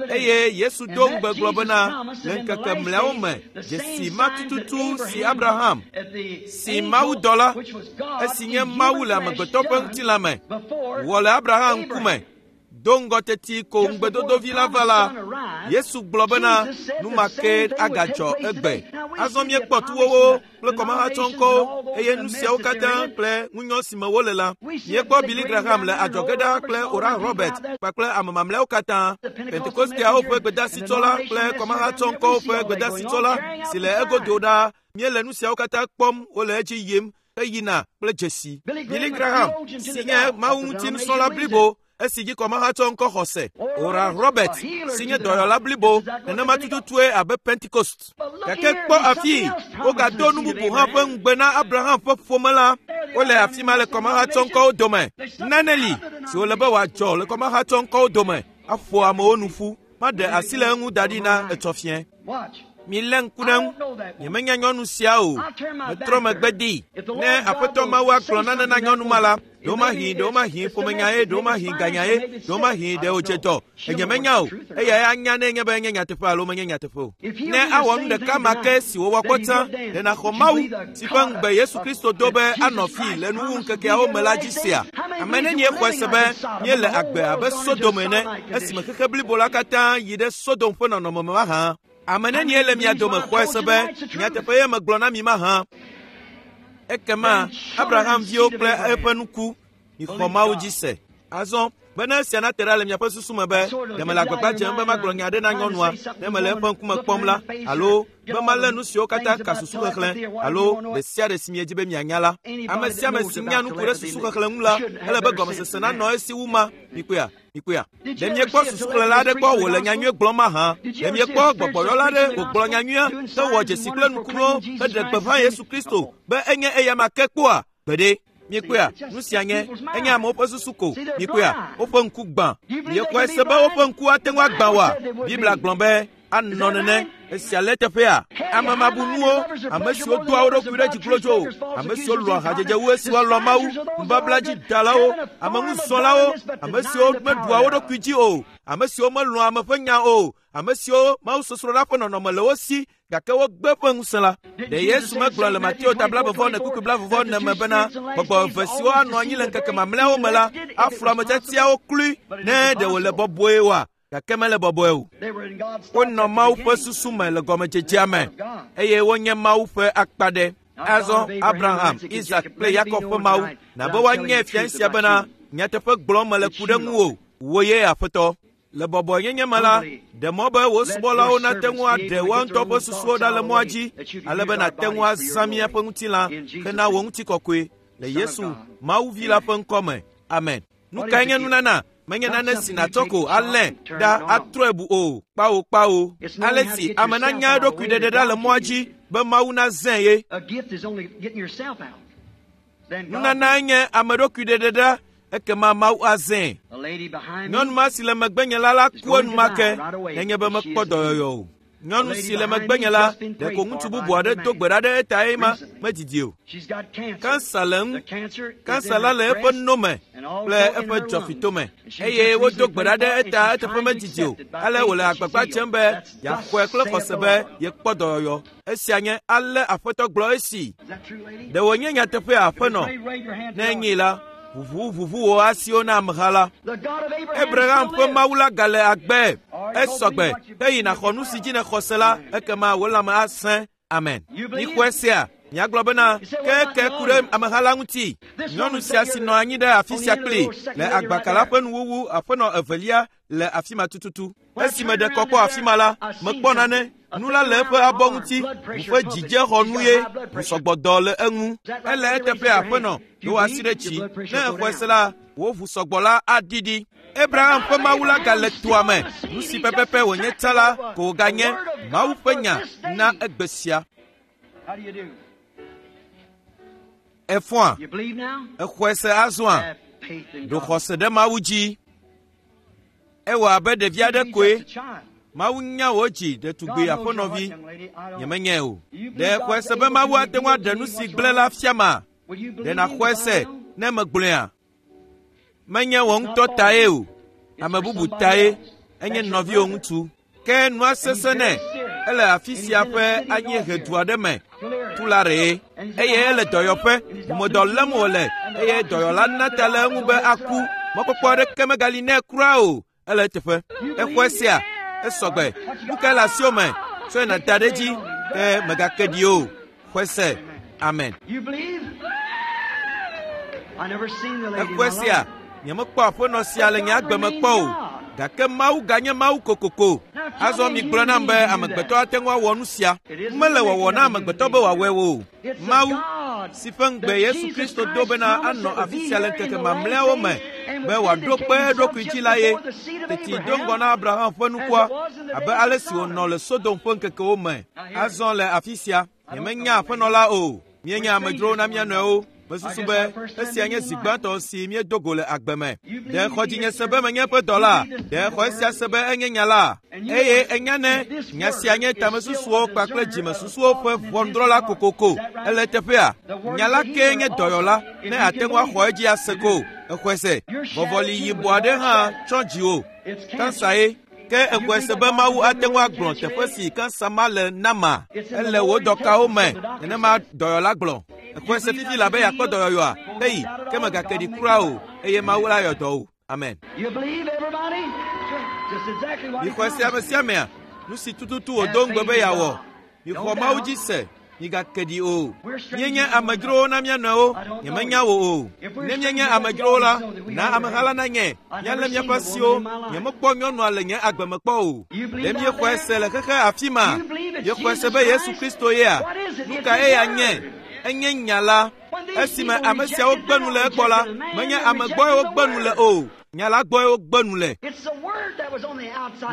eye Yesu do ŋugbe gblɔ bena le ŋkeke mlɔeawo me dzesi ma tututu si Abraham, si mawudɔla, esi nye Mawu le amegbetɔ ƒe ŋutilã me, wɔ le Abraham ŋkume, do ŋgɔ teti ko ŋugbedodovi la va la, Yesu gblɔ bena nu ma ke agadzɔ egbe. Azɔ míekpɔ tuwowo kple kɔmahatsɔŋkɔwo eye nu siawo katã kple ŋunyɔ si me wole la. Míekpɔ Billy Graham le adzɔge ɖaa kple Oral Robert kpakple ame mamlɛawo katã, Pentekosteawo ƒe gbedasitsɔla kple kɔmahatsɔŋkɔwo ƒe gbedasitsɔla si le egodo ɖaa. Míele nu siawo katã kpɔm wole edzi yim heyina kple dzesi. Billy Graham si nye Mawu ŋuti nusrɔ̃la blibo esi dzi kɔmahatsɔ ŋkɔ xɔse. Oral Robert si nye dɔyɔla blibo nenema tututue abe Pentecost. Gake kpɔ afii, wogado nu bubu hã ƒe ŋugbe na Abraham ƒe ƒome la. Wole afi ma le kɔmahatsɔ ŋkɔwo dome. Nane li si wòle be wòadzɔ le kɔmahatsɔ ŋkɔwo dome aƒo amewo nu ƒu. Maɖe asi le eŋu da ɖi na etsɔ fiẽ. Milé ŋku ɖe ŋu. Nyemenya nyɔnu sia o. Metrɔ megbe dee. Ne Aƒetɔ Mawu agblɔ nane na nyɔnu ma la, ɖewomahi ɖewomahi ƒomenyae, ɖewomahi ganyae, ɖewomahi ɖe wòdze dɔ. Enyemenya o. Eyae anya ne enye be enye nyateƒe alo menye nyateƒe o. Ne awɔ nu ɖeka ma ke si wòwɔ kpɔ tsã, ɖe nàxɔ Mawu si ƒe ŋugbe Yesu Kristo do be anɔ fii le nuwuŋkekeawo me la dzi sea? Ame nenie xɔe se be míele agbe abe Sodom ene esime xexe blibo la katã yi ɖe Sodom ƒe nɔnɔme me mahã? Ame nenie le mia dome xɔe se be nyateƒe ye megblɔ na mi mahã? Ekema Abraham viwo kple eƒe nuku, mixɔ Mawu dzi se. Azɔ, bene esia nate ɖa le miaƒe susu me be ɖe mele agbagba dzem be magblɔ nya aɖe na nyɔnua ne mele eƒe ŋkume kpɔm la, alo be malé nu siwo katã ka susuxexlẽ alo ɖe sia ɖe si miedzi be mianya la. Ame sia ame si nya nu ku ɖe susuxexlẽ ŋu la, ele be gɔmesese nanɔ esi wu ma. Mikpɔea? Mikpɔea? Ɖe miekpɔ susuxlẽla aɖe kpɔ wòle nyanyuie gblɔm mahã? Ɖe miekpɔ gbɔgbɔyɔla aɖe wògblɔ nyanyuia hewɔ dzesi kple nukunuwo heɖe gbeƒã Yesu Kristo be enye eyama ke kpɔa? Gbeɖe. Mikpɔea? Nu sia nye enye amewo ƒe susu ko. Mikpɔea? Woƒe ŋku gbã. Miexɔe se be woƒe ŋku ate ŋu agbã oa? Biblia gblɔ be anɔ nene. Esia le eteƒea? Ame mabunuwo, ame siwo doa wo ɖokui ɖe dzi glodzo, ame siwo lɔ̃a hadzedze wu esi woalɔ̃ Mawu, nubabladzidalawo, ameŋuzɔlawo, ame siwo meɖua wo ɖokui dzi o, ame siwo melɔ̃a ame ƒe nya o, ame siwo mawusosroɖa ƒe nɔnɔme le wo si gake wogbe ƒe ŋusẽ la. Ɖe Yesu megblɔ le Mateo ta blaeve-vɔ-ene kpukpui blaeve-vɔ-ene me bena gbɔgbɔ eve siwo anɔ anyi le ŋkeke mamlɛawo me la aflu ame tiatiawo kloe ne ɖe wòle bɔbɔe oa? Gake mele bɔbɔe o. Wonɔ Mawu ƒe susu me le gɔmedzedzea me eye wonye Mawu ƒe akpa ɖe. Azɔ Abraham, Isak kple Yakob ƒe Mawu na be woanye fia sia bena nyateƒe gblɔm mele ku ɖe ŋuwò, wò ye Aƒetɔ. Le bɔbɔenyenye me la, ɖe mɔ be wò subɔlawo nate ŋu aɖe woa ŋutɔ ƒe susuwo ɖa le mɔa dzi ale be nàte ŋu azã míaƒe ŋutilã hena wò ŋutikɔkɔe le Yesu, Mawu Vi la ƒe ŋkɔ me. Amen. Nu kae nye nunana? Menye nane si nàtsɔ ko alé ɖa atrɔe bu o. Kpawo kpawo. Ale si ame nanya eɖokui ɖeɖe ɖa le mɔa dzi be Mawu nazãe ye. Nunanae nye ame ɖokui ɖeɖe ɖa ekema Mawu azãe. Nyɔnu ma si le megbenye la la ku enumake nenye be mekpɔ dɔyɔyɔ o. Nyɔnu si le megbenye la, ɖeko ŋutsu bubu aɖe do gbe ɖa ɖe eta eye ma medidi o. Kansa le eŋu. Kansa la le eƒe no me kple eƒe dzɔfitome eye wodo gbe ɖa ɖe eta eteƒe medidi o. Ale wòle agbagba dzem be yeaxɔe kple xɔse be yekpɔ dɔyɔyɔ. Esia nye ale Aƒetɔ gblɔ esi. Ɖe wònye nyateƒea, Aƒenɔ? Ne enyee la, ʋuʋu ʋuʋu wò asiwo na ameha la. Abraham ƒe Mawu la gale agbe. Esɔgbe. Ke yi nàxɔ nu si dzi nèxɔ se la, ekema wò lãme asẽ. Amen. Mixɔe sea? Miagblɔ bena, ke ke ku ɖe ameha la ŋuti. Nyɔnu sia si nɔ anyi ɖe afi sia kpli le agbaka la ƒe nuwuwu aƒenɔ evelia le afi ma tututu. Esi meɖe kɔ kpɔ afi ma la, mekpɔ nane. Nu la le eƒe abɔ ŋuti, ʋu ƒe dzidzexɔnu ye, ʋusɔgbɔdɔ le eŋu. Ele eteƒe aƒenɔ, ɖo asi ɖe dzi. Ne exɔe se la, wò ʋusɔgbɔ la aɖiɖi. Abraham ƒe Mawu la gale toa me. Nu si pɛpɛpɛ wònye tsã la ko wòganye Mawu ƒe nya na egbe sia. Èfɔa? Èxɔe se azɔa? Ɖo xɔse ɖe Mawu dzi. Ewɔ abe ɖevi aɖe koe. Mawu nya wò dzi ɖetugbi aƒenɔvi, nyemenyae o. Ɖe xɔe se be Mawu ate ŋu aɖe nu si gblẽ la fiama? Ɖe nàxɔe se ne megblɔea? Menye wò ŋutɔ tae o, ame bubu tae, enye nɔviwò ŋutsu. Ke nua sesẽ nɛ, ele afi sia ƒe anyiehe du aɖe me, Tulare, eye ele dɔyɔƒe, ʋumedɔ lém wòle eye dɔyɔla na ta le eŋu be aku. Mɔkpɔkpɔ aɖeke megali nɛ kura o, ele eteƒe. Exɔe sea, esɔgbe. Nu kae le asiwò me? Tsɔe nàda ɖe edzi, ke mègake ɖi o. Xɔe se. Amen. Exɔe sea, nyemekpɔ aƒenɔ sia le nye agbe me kpɔ o, gake Mawu ganye Mawu kokoko. Azɔ migblɔ nam be amegbetɔ ate ŋu awɔ nu sia. Mele wɔwɔ na amegbetɔ be wòawɔe o. Mawu, si ƒe ŋugbe Yesu Kristo do bena anɔ afi sia le ŋkeke mamlɛawo me be wòaɖo kpe eɖokui dzi la ye, teti do ŋgɔ na Abraham ƒe nukua, abe ale si wònɔ le Sodom ƒe ŋkekewo me. Azɔ le afi sia, nyemenya aƒenɔ la o. Míenye amedzrowo na mía nɔewo. Mesusu be esia nye zi gbãtɔ si míedo go le agbe me. Ɖe xɔ dzinye se be menye eƒe dɔla? Ɖe xɔ esia se be enye nya la? Eye enya ne nya sia nye tamesusuwo kpakple dzimesusuwo ƒe ʋɔnudrɔ̃la kokoko. Ele eteƒea? Nya la kee nye dɔyɔla ne àte ŋu axɔ edzi ase ko. Exɔe se. Vɔvɔli yibɔ aɖe hã tsɔ dziwò. Kansa ye. Ke exɔe se be Mawu ate ŋu agblɔ teƒe si kansa ma le nama? Ele wò dɔkawo me, nenema dɔyɔla gblɔ. Exɔe se fifi labe yeakpɔ dɔyɔyɔa? Heyi, ke mègake ɖi kura o, eye Mawu la yɔ dɔ wò. Amen. Mixɔe se ame sia amea, nu si tututu wòdo ŋugbe be yeawɔ. Mixɔ Mawu dzi se, migake ɖi o. Míenye amedzrowo na mía nɔewo, nyemenya wò o. Ne míenye amedzrowo la, na ameha la nanye, míalé míaƒe asiwo. Nyemekpɔ nyɔnua le nye agbe me kpɔ o. Ɖe míexɔe se le xexe afi ma? Míexɔe se be Yesu Kristo yea? Nu ka eya nye? Enye nya la. Esime ame siawo gbe nu le egbɔ la, menye ame gbɔe wogbe nu le o, nya la gbɔe wogbe nu le.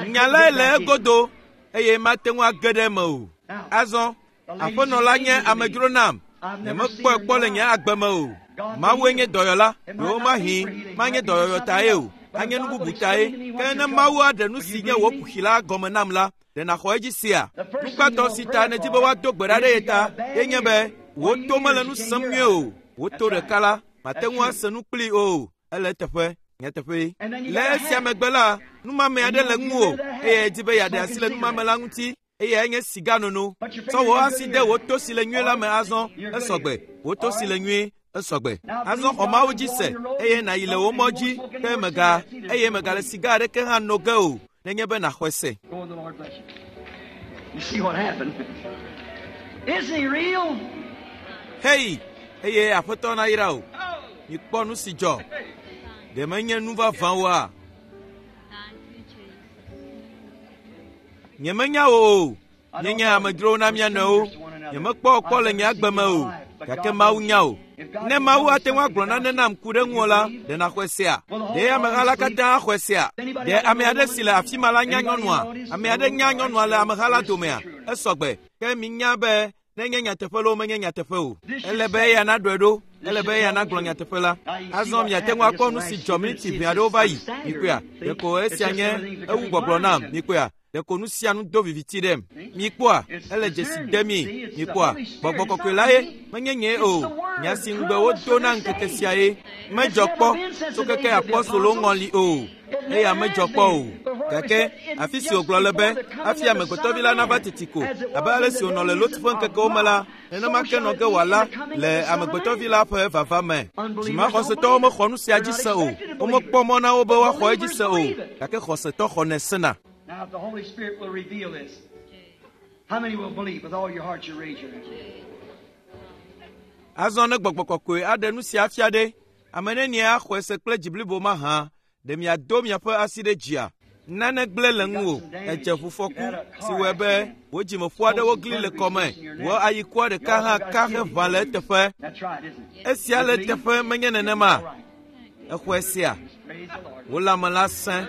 Nya lae le egodo eye mate ŋu age ɖe eme o. Azɔ, aƒenɔ la nye amedzro nam. Nyemekpɔe kpɔ le nye agbe me o. Mawue nye dɔyɔla, ɖewomahi manye dɔyɔyɔ tae o, anye nu bubu tae. Ke ne Mawu aɖe nu si nye wò kuxi la gɔme nam la, ɖe nàxɔ edzi sea? Nu gbãtɔ si ta nèdi be woado gbe ɖa ɖe ye ta ye nye be wò to mele nu sem nyuie o. Wò to ɖeka la, màte ŋu ase nu kplii o. Ele eteƒe, nyateƒee. Le esia megbe la, numame aɖe le ŋuwò eye èdi be yeaɖe asi le numame la ŋuti eyae nye siganono. Tsɔ wò asi de wò to si le nyuie la me azɔ, esɔgbe. Wò to si le nyuie, esɔgbe. Azɔ xɔ Mawu dzi se eye nàyi le wò mɔ dzi ke mega eye mègale siga aɖeke hã no ge o nenye be nàxɔe se. Go and the Lord bless you. You see what happened? Isn't he real? Hei, eye Aƒetɔ nayra wò. Mikpɔ nu si dzɔ. Ɖe menye nu vavã oa? Nyemenya wò o. Míenye amedzrowo na mía nɔewo. Nyemekpɔ wò kpɔ le nye agbe me o, gake Mawu nya wò. Ne Mawu ate ŋu agblɔ nane nam ku ɖe ŋuwò la, ɖe nàxɔe sea? Ɖe ameha la katã axɔe sea? Ɖe ame aɖe si le afi ma la nya nyɔnua? Ame aɖe nya nyɔnua le ameha la domea? Esɔgbe. Ke minya be nenye nyateƒe loo menye nyateƒe o. Ele be eya naɖɔe ɖo. Ele be eya nagblɔ nyateƒe la. Azɔ miate ŋu akpɔ nu si dzɔ miniti ʋɛ aɖewo va yi. Mikpɔea? Ɖeko esia nye ewu gbɔgblɔ nam. Mikpɔea? Ɖeko nu sia nu do viviti ɖem. Mikpɔa? Ele dzesi dem mi. Mikpɔa? Gbɔgbɔ kɔkɔe la ye, menye nyee o. Nya si ŋugbe wodo na ŋkeke sia ye. Medzɔ kpɔ tso keke apɔstolowo ŋɔli o. Eya medzɔ kpɔ o. Gake afi si wògblɔ le be hafi amegbetɔvi la nava teti ko, abe ale si wònɔ le Lot ƒe ŋkekewo me la, nenema ke nɔ ge wòala le amegbetɔvi la ƒe vava me. Dzimaxɔsetɔwo mexɔ nu sia dzi se o. Womekpɔ mɔ na wo be woaxɔ edzi se o, gake xɔsetɔ xɔnɛ sena. Now, if the Holy Spirit will reveal this, how many will believe with all your heart? You raise your hand. Azɔ ne gbɔgbɔ kɔkɔe aɖe nu sia fia ɖe, ame nenie axɔe se kple dzi blibo mahã? Ɖe miado miaƒe asi ɖe dzia? Nane gblẽ le ŋuwò, èdze ʋufɔku si wɔe be wò dzimeƒu aɖewo gli le kɔme, wò ayikua ɖeka hã ka heʋã le eteƒe. That's right, isn't it? Esia le eteƒe menye nenema? Exɔe sea? Praise the Lord. Wò lãme la sẽ.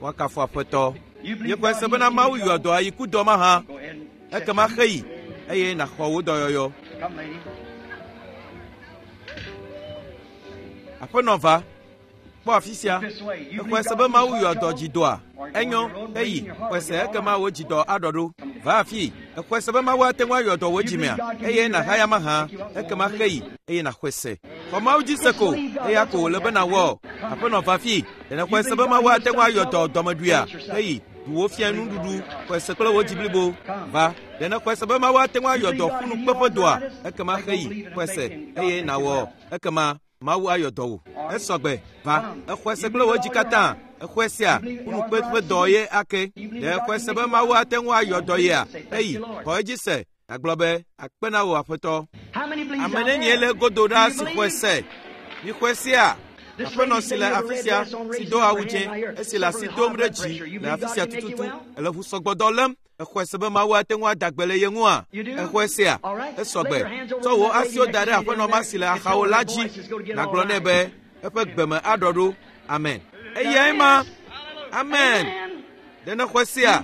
Woakafu Aƒetɔ. Míexɔe se bena Mawu yɔa dɔ ayikudɔ mahã. Go ahead and Ekema xeyi eye nàxɔ wò dɔyɔyɔ. come, lady. Aƒenɔ va. Kpɔ afi sia. Exɔe se be Mawu yɔ dɔ dzidɔa? Enyo, eyi, xɔe se ekema wò dzidɔ aɖɔ ɖo. Va afii. Exɔe se be Mawu ate ŋu ayɔ dɔ wò dzimea? Eye nàhaya mahã, ekema xeyi, eye nàxɔe se. Xɔ Mawu dzi se ko, eya ko wòle be nàwɔ. Aƒenɔ va afii. Ɖe nèxɔe se be Mawu ate ŋu ayɔ dɔ dɔmeɖuia? Eyi, ɖu wò fia nuɖuɖu, xɔe se kple wò dzi blibo. Va. Ɖe nèxɔe se be Mawu ate ŋu ayɔ dɔ ƒunukpeƒe dɔa? Ekema xeyi, xɔe se, eye nàwɔ. Ekema Mawu ayɔ dɔ wò. Esɔgbe, va. Exɔe se kple wò dzi katã. Exɔe sea, ƒunukpeƒe dɔ ye ake. Ɖe exɔe se be Mawu ate ŋu ayɔ dɔ yea? Eyi, xɔ edzi se. Nàgblɔ be, akpe na wò Aƒetɔ. Ame nenie le godo ɖaa si xɔe se? Mixɔe sea? Aƒenɔ si le afi sia, si do awu dzẽ, esi le asi dom ɖe dzi le afi sia tututu, ele ʋusɔgbɔdɔ lém. Exɔe se be Mawu ate ŋu ada gbe le ye ŋua? Exɔe sea? Esɔgbe. Tsɔ wò asiwo da ɖe aƒenɔ ma si le axawo la dzi. Nàgblɔ nɛ be eƒe gbeme aɖɔ ɖo. Amen. Eyae ma. Amen. Ɖe nèxɔe sea?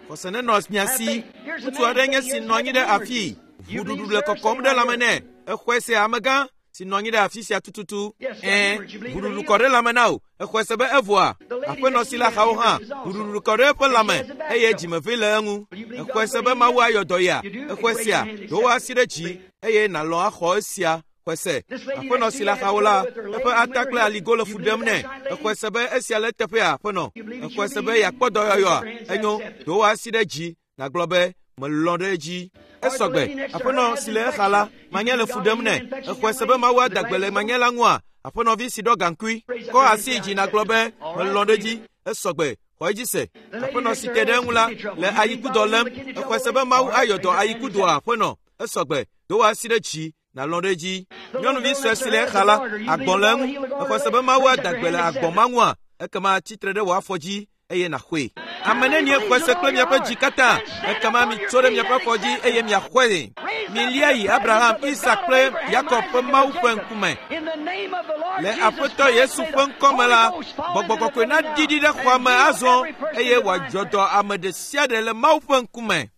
Xɔse nenɔ mia si. Ŋutsu aɖe nye si nɔ anyi ɖe afii. Ʋuɖuɖu le kɔkɔm ɖe lãme nɛ. Exɔe sea, amegã? si nɔ anyi ɖe afi sia tututu. Ɛ̃, ʋuɖuɖu kɔ ɖe lãme na wò. Exɔe se be evɔa? Aƒenɔ si le axawo hã, ʋuɖuɖu kɔ ɖe eƒe lãme eye dzimevee le eŋu. Exɔe se be Mawu ayɔ dɔ yea? Exɔe sea? Do wò asi ɖe dzi eye nàlɔ̃ axɔ esia. Xɔe se. Aƒenɔ si le axawo la, eƒe ata kple aligo le fu ɖem nɛ. Exɔe se be esia le eteƒea, aƒenɔ? Exɔe se be yeakpɔ dɔyɔyɔa? Enyo, do wò asi ɖe dzi nàgblɔ be, melɔ̃ ɖe edzi. Esɔgbe, aƒenɔ si le exa la, manye le fu ɖem nɛ. Exɔe se be Mawu ada gbe le manye la ŋua? Aƒenɔvi si ɖɔ gaŋkui, kɔ asi yi dzi nàgblɔ be, melɔ̃ ɖe edzi. Esɔgbe, xɔ edzi se. Aƒenɔ si te ɖe eŋu la, le ayikudɔ lém. Exɔe se be Mawu ayɔ dɔ ayikudɔa, aƒenɔ? Esɔgbe, do wò asi ɖe dzi nàlɔ̃ ɖe edzi. Nyɔnuvi sue si le exa la, agbɔ̃ le eŋu. Exɔe se be Mawu ada gbe le agbɔ̃ ma ŋua? Ekema tsi tre ɖe wò afɔ dzi eye nàxɔe. Ame nenie xɔe se kple miaƒe dzi katã? Ekema mitso ɖe miaƒe afɔ dzi eye miaxɔe. Milia yi Abraham, Isak kple Yakob ƒe Mawu ƒe ŋkume. Le Aƒetɔ Yesu ƒe ŋkɔ me la, Gbɔgbɔ Kɔkɔe naɖiɖi ɖe xɔa me azɔ eye wòadzɔ dɔ ame ɖe sia ɖe le Mawu ƒe ŋkume.